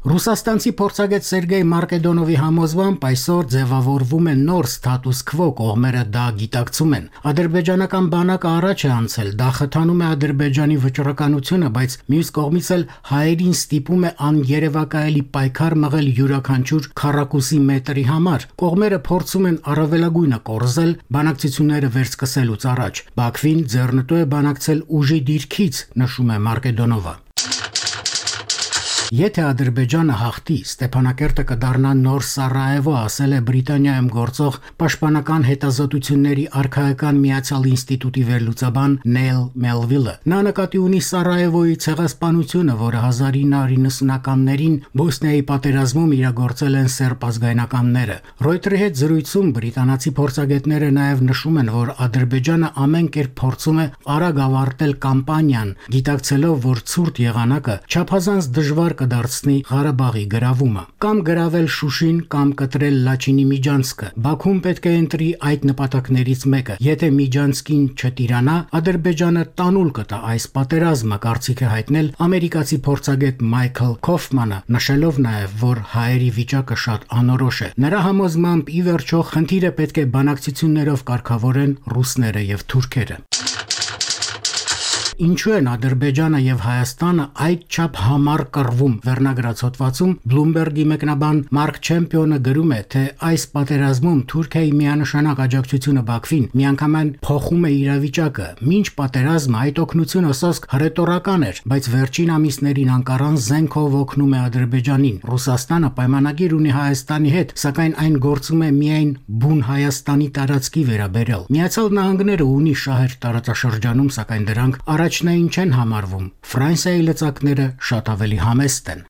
Ռուսաստանցի փորձագետ Սերգեյ Մարկեդոնովի համոզմամբ այսօր ձևավորվում է նոր ստատուս քվո, կողմերը դա գիտակցում են։ Ադրբեջանական բանակը առաջ է անցել, դա խթանում է Ադրբեջանի վճռականությունը, բայց մյուս կողմից էլ հայերին ստիպում է աներևակայելի պայքար մղել յուրաքանչյուր քառակուսի մետրի համար։ Կողմերը փորձում են առավելագույնը կորզել բանակցությունները վերսկսելուց առաջ։ Բաքվին ձեռնտու է բանակցել ուժի դիրքից, նշում է Մարկեդոնովը։ Եթե Ադրբեջանը հաղթի, Ստեփանակերտը կդառնա նոր Սարայևո, ասել է Բրիտանիայում գործող Պաշտպանական հետազոտությունների արքայական միացյալ ինստիտուտի վերլուծաբան Նեյլ Մելվիլը։ Նա նկատի ունի Սարայևոյի ցեղասպանությունը, որը 1990-ականներին Բոսնիայի պատերազմում իրագործել են սերբ ազգայնականները։ Ռոյտերի հետ զրույցում բրիտանացի փորձագետները նաև նշում են, որ Ադրբեջանը ամեն կերպ փորձում է արագ ավարտել կամպանիան, գիտակցելով, որ ցուրտ եղանակը չափազանց դժվար կդարձնի Ղարաբաղի գրավումը, կամ գրավել Շուշին, կամ կտրել Լաչինի Միջանցքը։ Բաքուն պետք է ընտրի այդ նպատակներից մեկը։ Եթե Միջանցքին չտիրանա, Ադրբեջանը տանուլ կտա այս պատերազմը, կարծիք է հայտնել ամերիկացի փորձագետ Մայքլ Քոֆմանը, նշելով նաև, որ հայերի վիճակը շատ անորոշ է։ Նրա համոզմամբ ի վերջո խնդիրը պետք է բանակցություններով կարգավորեն ռուսները եւ թուրքերը։ Ինչու են Ադրբեջանը եւ Հայաստանը այդչափ համառ կռվում։ Վերնագրած հոդվածում Bloomberg-ի մեկնաբան Մարկ Չեմպիոնը գրում է, թե այս պատերազմում Թուրքիայի միանշանակ աջակցությունը Բաքվին միանգամայն փոխում է իրավիճակը։ Մինչ պատերազմը այդ օգնությունը սոսկ հռետորական էր, բայց վերջին ամիսներին անկարան զենքով օգնում է Ադրբեջանին։ Ռուսաստանը պայմանագիր ունի Հայաստանի հետ, սակայն այն գործում է միայն բուն Հայաստանի տարածքի վերաբերյալ։ Միացյալ Նահանգները ունի շահեր տարածաշրջանում, սակայն դրանք առաջնային չեն համարվում։ Ֆրանսիայի լծակները շատ ավելի համեստ են։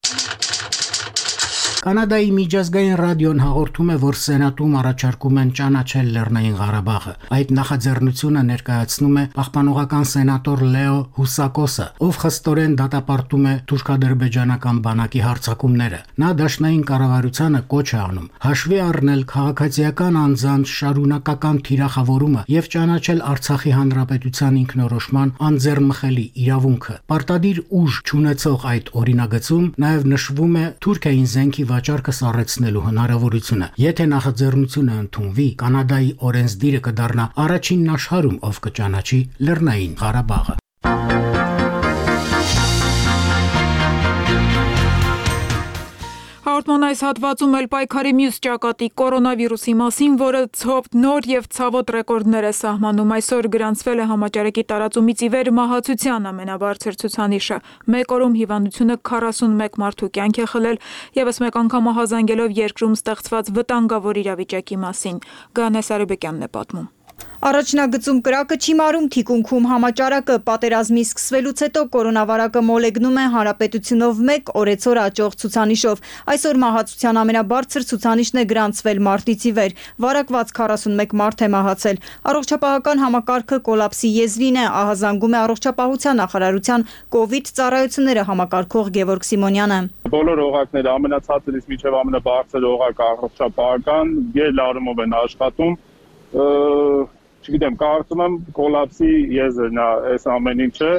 Կանադայի միջազգային ռադիոն հաղորդում է, որ Սենատում առաջարկում են ճանաչել Լեռնային Ղարաբաղը։ Այդ նախաձեռնությունը ներկայացնում է պահպանողական սենատոր Լեո Հուսակոսը, ով խստորեն դատապարտում է թուրք-ադրբեջանական բանակի հարձակումները։ Նա դաշնային կառավարությանը կոչ է անում հաշվի առնել քաղաքացիական անձանց շարունակական թիրախավորումը եւ ճանաչել Արցախի հանրապետության ինքնորոշման անձեռնմխելի իրավունքը։ Պարտադիր ուժ չունեցող այդ օրինագծում նաեւ նշվում է Թուրքիային զենքի վաճառքը սառեցնելու հնարավորությունը։ Եթե նախաձեռնությունը ընդունվի, Կանադայի օրենսդիրը կդառնա առաջինն աշխարհում, ով կճանաչի Լեռնային Ղարաբաղը։ Հաղորդման այս հատվածում էլ պայքարի մյուս ճակատի կորոնավիրուսի մասին, որը նոր եւ ցավոտ ռեկորդներ է սահմանում։ Այսօր գրանցվել է համաճարակի տարածումից ի վեր մահացության ամենաբարձր ցուցանիշը։ Մեկ օրում հիվանդությունը 41 մարդու կյանք է խլել, եւս մեկ անգամ ահազանգելով երկրում ստեղծված վտանգավոր իրավիճակի մասին։ Գանես Արեբեկյանն է պատմում։ Առաջնագծում կրակը չի մարում թիկունքում համաճարակը պատերազմի սկսվելուց հետո կորոնավարակը մոլեգնում է հանրապետությունով 1 օրեցօր աճող ցուցանիշով։ Այսօր մահացության ամենաբարձր ցուցանիշն է գրանցվել մարտից ի վեր։ Վարակված 41 մարդ է մահացել։ Առողջապահական համակարգը կոլապսի եզրին է, ահազանգում է առողջապահության նախարարության կոവിഡ് ծառայությունները համակարգող Գևորգ Սիմոնյանը։ Բոլոր օղակները ամենացածից մինչև ամենաբարձր օղակը առողջապահական գերլարումով են աշխատում։ Չգիտեմ, կարծում եմ կոլապսի եզրն է այս ամեն ինչը,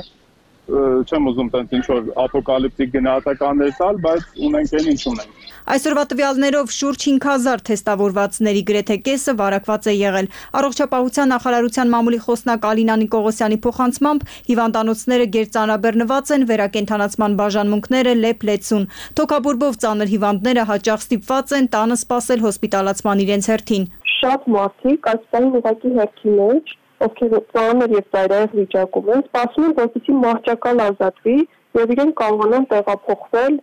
չեմ ուզում տենց ինչ-որ ապոկալիպտիկ գնահատականներ տալ, բայց ունենք այն ինչ ունենք։ Այսօրվա տվյալներով շուրջ 5000 թեստավորվածների գրեթե կեսը վարակված է եղել։ Առողջապահության նախարարության մամուլի խոսնակ Ալինա Նիկողոսյանի փոխանցմամբ հիվանդանոցները գերծանրաբեռնված են, վերակենդանացման բաժանմունքները լեփ-լեցուն։ Թոքաբորբով ծանր հիվանդները հաճախ ստիպված են տանը սպասել հոսպիտալացման իրենց հերթին։ Շատ մարդիկ այս պահին ուղղակի հերթի մեջ, ովքեր ծանր եւ ծայրահեղ վիճակում են, սպասում են, որպեսզի մահճակալ ազատվի եւ իրենք կարողանան տեղափոխվել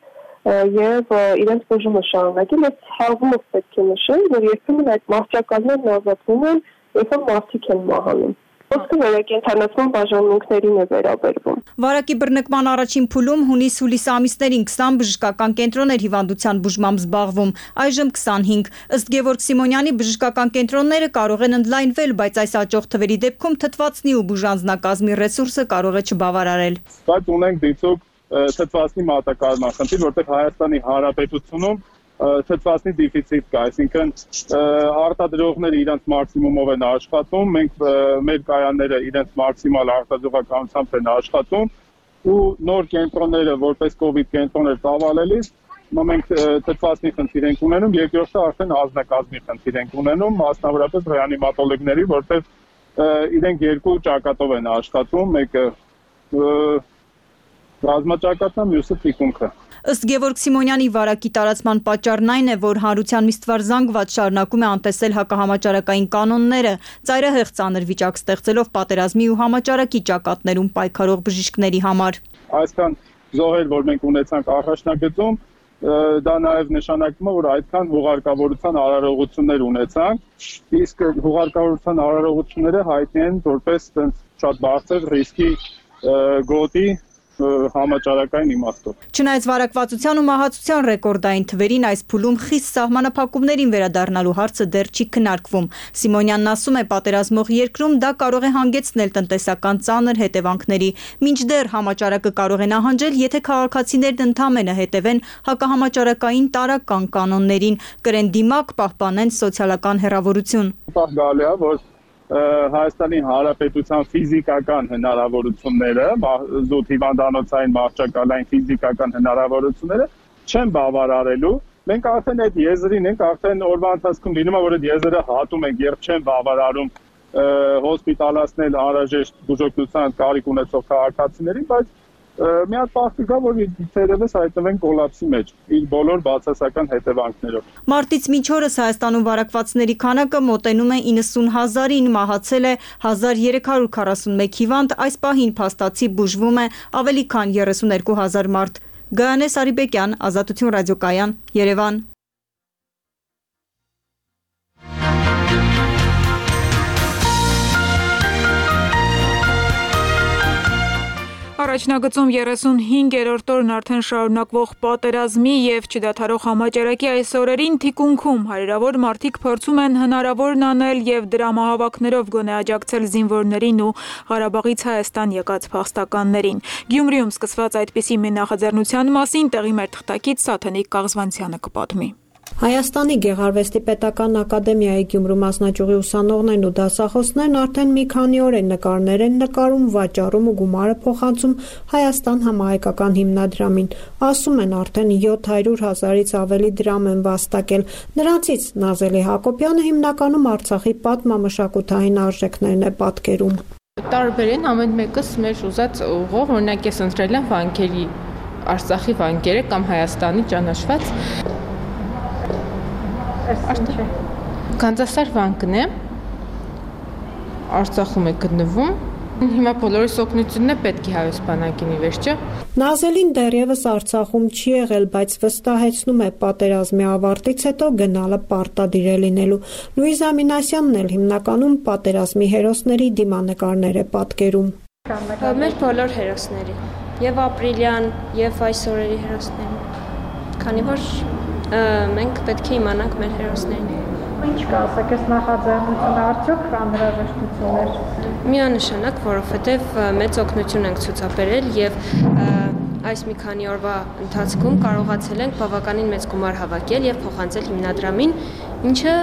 եւ իրենց բուժումը շարունակել։ Այս հավումը պետք է նշել, որ երբեմն այդ մահճակալներն ազատվում են, երբ որ մարդիկ են մահանում։ Ոսկե վերակենդանացման բաժանմունքներին է վերաբերվում։ Վարակի բռնկման առաջին փուլում հունիս-հուլիս ամիսներին 20 բժշկական կենտրոններ հիվանդության բուժմամբ զբաղվում, այժմ 25։ Ըստ Գևորգ Սիմոնյանի բժշկական կենտրոնները կարող են ընդլայնվել, բայց այս աճող թվերի դեպքում թթվածնի ու բուժանձնակազմի ռեսուրսը կարող է չբավարարել։ Բայց ունենք դիցոք թթվածնի մատակարարման խնդիր, որտեղ Հայաստանի Հանրապետությունում թթվածնի դեֆիցիտ կա, այսինքն արտադրողները իրենց մաքսիմումով են աշխատում, մենք մեր կայանները իրենց մաքսիմալ արտադրողականությամբ են աշխատում ու նոր կենտրոնները որպես կոവിഡ് կենտրոններ ծավալելիս մենք թթվածնի խնդիր ենք ունենում, երկրորդը արդեն անձնակազմի խնդիր ենք ունենում, մասնավորապես ռեանիմատոլոգների, որտեղ իրենք երկու ճակատով են աշխատում, մեկը ռազմաճակատն է, մյուսը թիկունքը։ Ըստ Գևորգ Սիմոնյանի վարակի տարածման պատճառն այն է, որ հանրության միստվար զանգված շարունակում է անտեսել հակահամաճարակային կանոնները, ծայրահեղ ծանր վիճակ ստեղծելով պատերազմի ու համաճարակի ճակատներում պայքարող բժիշկների համար։ Այսքան զոհեր, որ մենք ունեցանք առաջնագծում, դա նաև նշանակում է, որ այդքան հուղարկավորության արարողություններ ունեցանք, իսկ հուղարկավորության արարողությունները հայտնի են որպես շատ բարձր ռիսկի գոտի համաճարակային իմաստով։ Չնայած վարակվածության ու մահացության ռեկորդային թվերին, այս փուլում խիստ սահմանափակումներին վերադառնալու հարցը դեռ չի քննարկվում։ Սիմոնյանն ասում է, պատերազմող երկրում դա կարող է հանգեցնել տնտեսական ծանր հետևանքների, մինչդեռ համաճարակը կարող է նահանջել, եթե քաղաքացիներն ընդամենը հետևեն հակահամաճարակային տարրական կանոններին, կրեն դիմակ, պահպանեն սոցիալական հեռավորություն։ Գալի է, որ Հայաստանի Հանրապետության ֆիզիկական հնարավորությունները, զուտ հիվանդանոցային մահճակալային ֆիզիկական հնարավորությունները չեն բավարարելու։ Մենք արդեն այդ եզրին ենք, արդեն օրվա ընթացքում լինում է, որ այդ եզրը հատում ենք եւ չեն բավարարում հոսպիտալացնել անհրաժեշտ բուժօգնության կարիք ունեցող քաղաքացիներին, բայց մի հատ պահ կգա, որ թերևս հայտնվեն կոլապսի մեջ, իր բոլոր բացասական հետևանքներով։ Մարտից մինչ օրս Հայաստանում վարակվածների քանակը մոտենում է 90,000-ին, մահացել է 1341 հիվանդ, այս պահին փաստացի բուժվում է ավելի քան 32,000 մարդ։ Գայանե Սարիբեկյան, Ազատություն ռադիոկայան, Երևան։ Առաջնագծում 35-րդ օրն արդեն շարունակվող պատերազմի եւ չդադարող համաճարակի այս օրերին թիկունքում հարյուրավոր մարդիկ փորձում են հնարավորն անել եւ դրամահավաքներով գոնե աջակցել զինվորներին ու Ղարաբաղից Հայաստան եկած փախստականներին։ Գյումրիում սկսված այդպիսի մի նախաձեռնության մասին տեղի մեր թղթակից Սաթենիկ Կաղզվանցյանը կպատմի։ Հայաստանի Գեղարվեստի պետական ակադեմիայի Գյումրու մասնաճյուղի ուսանողներն ու դասախոսներն արդեն մի քանի օր են նկարներ են նկարում, վաճառում ու գումարը փոխանցում Հայաստան համահայկական հիմնադրամին։ Ասում են արդեն 700,000-ից ավելի դրամ են վաստակել։ Նրանցից Նազելի Հակոբյանը հիմնականում Արցախի պատմամշակութային արժեքներն է պատկերում։ Տարբեր են, ամեն մեկս մեր ուզած ուղով, օրինակ ես ընտրել եմ վանքերի, Արցախի վանքերը կամ Հայաստանի ճանաչված Կանձասար վանկն է, Արցախում է գտնվում, հիմա բոլորիս օգնությունն է պետք է հայոց բանակինի վերջը։ Նազելին դեռևս Արցախում չի եղել, բայց վստահեցնում է պատերազմի ավարտից հետո գնալը պարտադիր է լինելու։ Լուիզա Մինասյանն էլ հիմնականում պատերազմի հերոսների դիմանկարներ է պատկերում։ Մեր բոլոր հերոսների, եւ ապրիլյան, եւ այս օրերի հերոսների, քանի որ մենք պետք է իմանանք մեր հերոսներին։ Ինչ կասեք, այս նախաձեռնությունը արդյոք անհրաժեշտություն էր։ Միանշանակ, որովհետև մեծ օգնություն ենք ցուցաբերել եւ այս մի քանի օրվա ընթացքում կարողացել ենք բավականին մեծ գումար հավաքել եւ փոխանցել հիմնադրամին, ինչը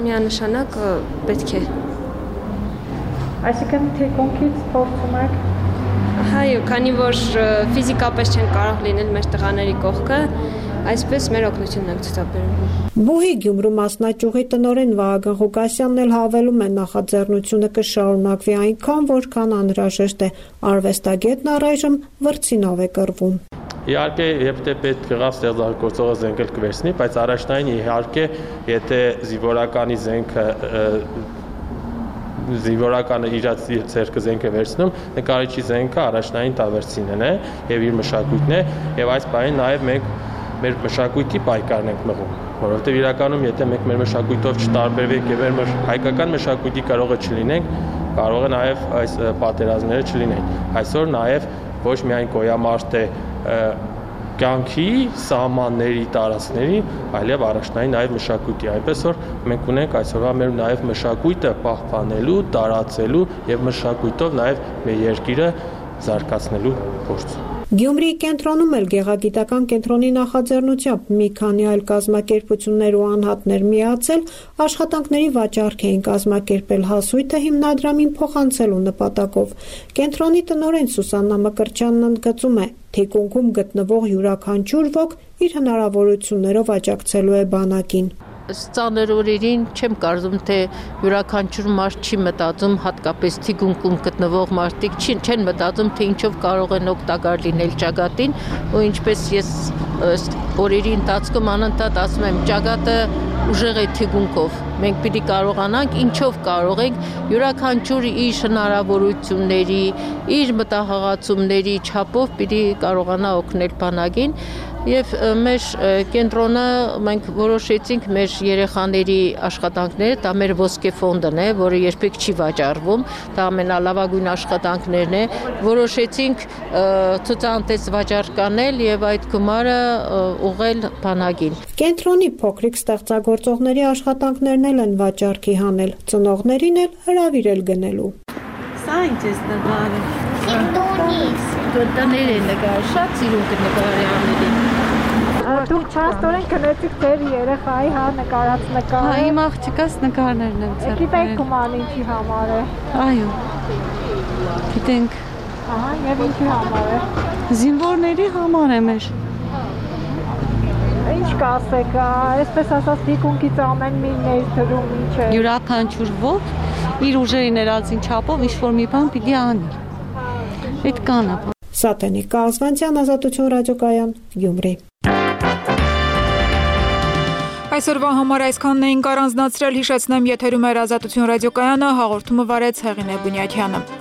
միանշանակ պետք է։ Այսինքն թիկունքից փորձում եք։ Այո, քանի որ ֆիզիկապես չեն կարող լինել մեր տղաների կողքը, այսպես մեր օգնությունն ենք ցուցաբերում։ Բուհի Գյումրու մասնաճյուղի տնօրեն Վահագն Ղուկասյանն էլ հավելում է նախաձեռնությունը կշարունակվի այնքան, որքան անհրաժեշտ է։ Արվեստագետն առայժմ վրձինով է կռվում։ Իհարկե, եթե պետք եղավ ստեղծագործողը զենքը կվերցնի, բայց առաջնային իհարկե, եթե զինվորականի զինվորականը իր ձեռքը զենքը վերցնում, նկարիչի զենքը առաջնային տավերցինն է եւ իր մշակույթն է եւ այս բանին նաեւ մենք մեր մշակույթի պայքարն ենք մղում, որովհետեւ իրականում եթե մենք մեր մշակույթով չտարբերվենք եւ մեր հայկական մշակույթի կարողը չլինենք, կարող է նաեւ այս պատերազմները չլինեն։ Այսօր նաեւ ոչ միայն գոյամարտ է կյանքի սահմանների տարածքների, այլև առաջնային նաև մշակույթի, այնպես որ մենք ունենք այսօրվա մեր նաև մշակույթը պահպանելու, տարածելու եւ մշակույթով նաև մեր երկիրը զարգացնելու փորձ։ Գյումրիի կենտրոնում էլ գեղագիտական կենտրոնի նախաձեռնությամբ մի քանի այլ կազմակերպություններ ու անհատներ միացել աշխատանքների վաճառք էին կազմակերպել հասույթը հիմնադրամին փոխանցելու նպատակով։ Կենտրոնի տնօրեն Սուսաննա Մկրտչյանն ընդգծում է, թիկունքում գտնվող յուրաքանչյուր ոք իր հնարավորություններով աջակցելու է բանակին։ Ծանր օրերին չեմ կարծում, թե յուրաքանչյուր մարդ չի մտածում, հատկապես թիկունքում գտնվող մարդիկ չեն մտածում, թե ինչով կարող են օգտակար լինել ճակատին, ու ինչպես ես օրերի ընթացքում անընդհատ ասում եմ, ճակատը ուժեղ է թիկունքով։ Մենք պիտի կարողանանք, ինչով կարող ենք, յուրաքանչյուր իր հնարավորությունների, իր մտահղացումների չափով պիտի կարողանա օգնել բանակին։ Եվ մեր կենտրոնը մենք որոշեցինք մեր երեխաների աշխատանքները, դա մեր ոսկե ֆոնդն է, որը երբեք չի վաճառվում, դա ամենալավագույն աշխատանքներն է, որոշեցինք ցուցահանդես վաճառկանել եւ այդ գումարը ուղղել բանակին։ Կենտրոնի փոքրիկ ստեղծագործողների աշխատանքներն են վաճառքի հանել, ծնողներին էլ հրավիրել գնելու։ Սա ինչ է նկարը։ Տներ է նկար, շատ սիրուն կնկարի անելի։ Դուք չաստորեն կնեցիք ձեր երեխայի նկարած նկարը։ Հա, իմ աղջիկաս նկարներն եմ ցերկել։ Գիտեք գումարն ինչի համար է։ Այո։ Գիտենք։ Ահա, եւ ինչի համար է։ Զինվորների համար է մեր։ Ինչ կասեք, այսպես ասած թիկունքից ամեն մի ներդրում ինչ է։ Յուրաքանչյուր ոք իր ուժերի ներածին չափով ինչ-որ մի բան պիտի անի։ Այդ կանա։ Սատենիկ Կազվանցյան, Ազատություն ռադիոկայան, Գյումրի։ Այսօրվա համար այսքանն էինք առանձնացրել, հիշեցնեմ, եթերում էր Ազատություն ռադիոկայանը, հաղորդումը վարեց Հեղինե Բունյաթյանը։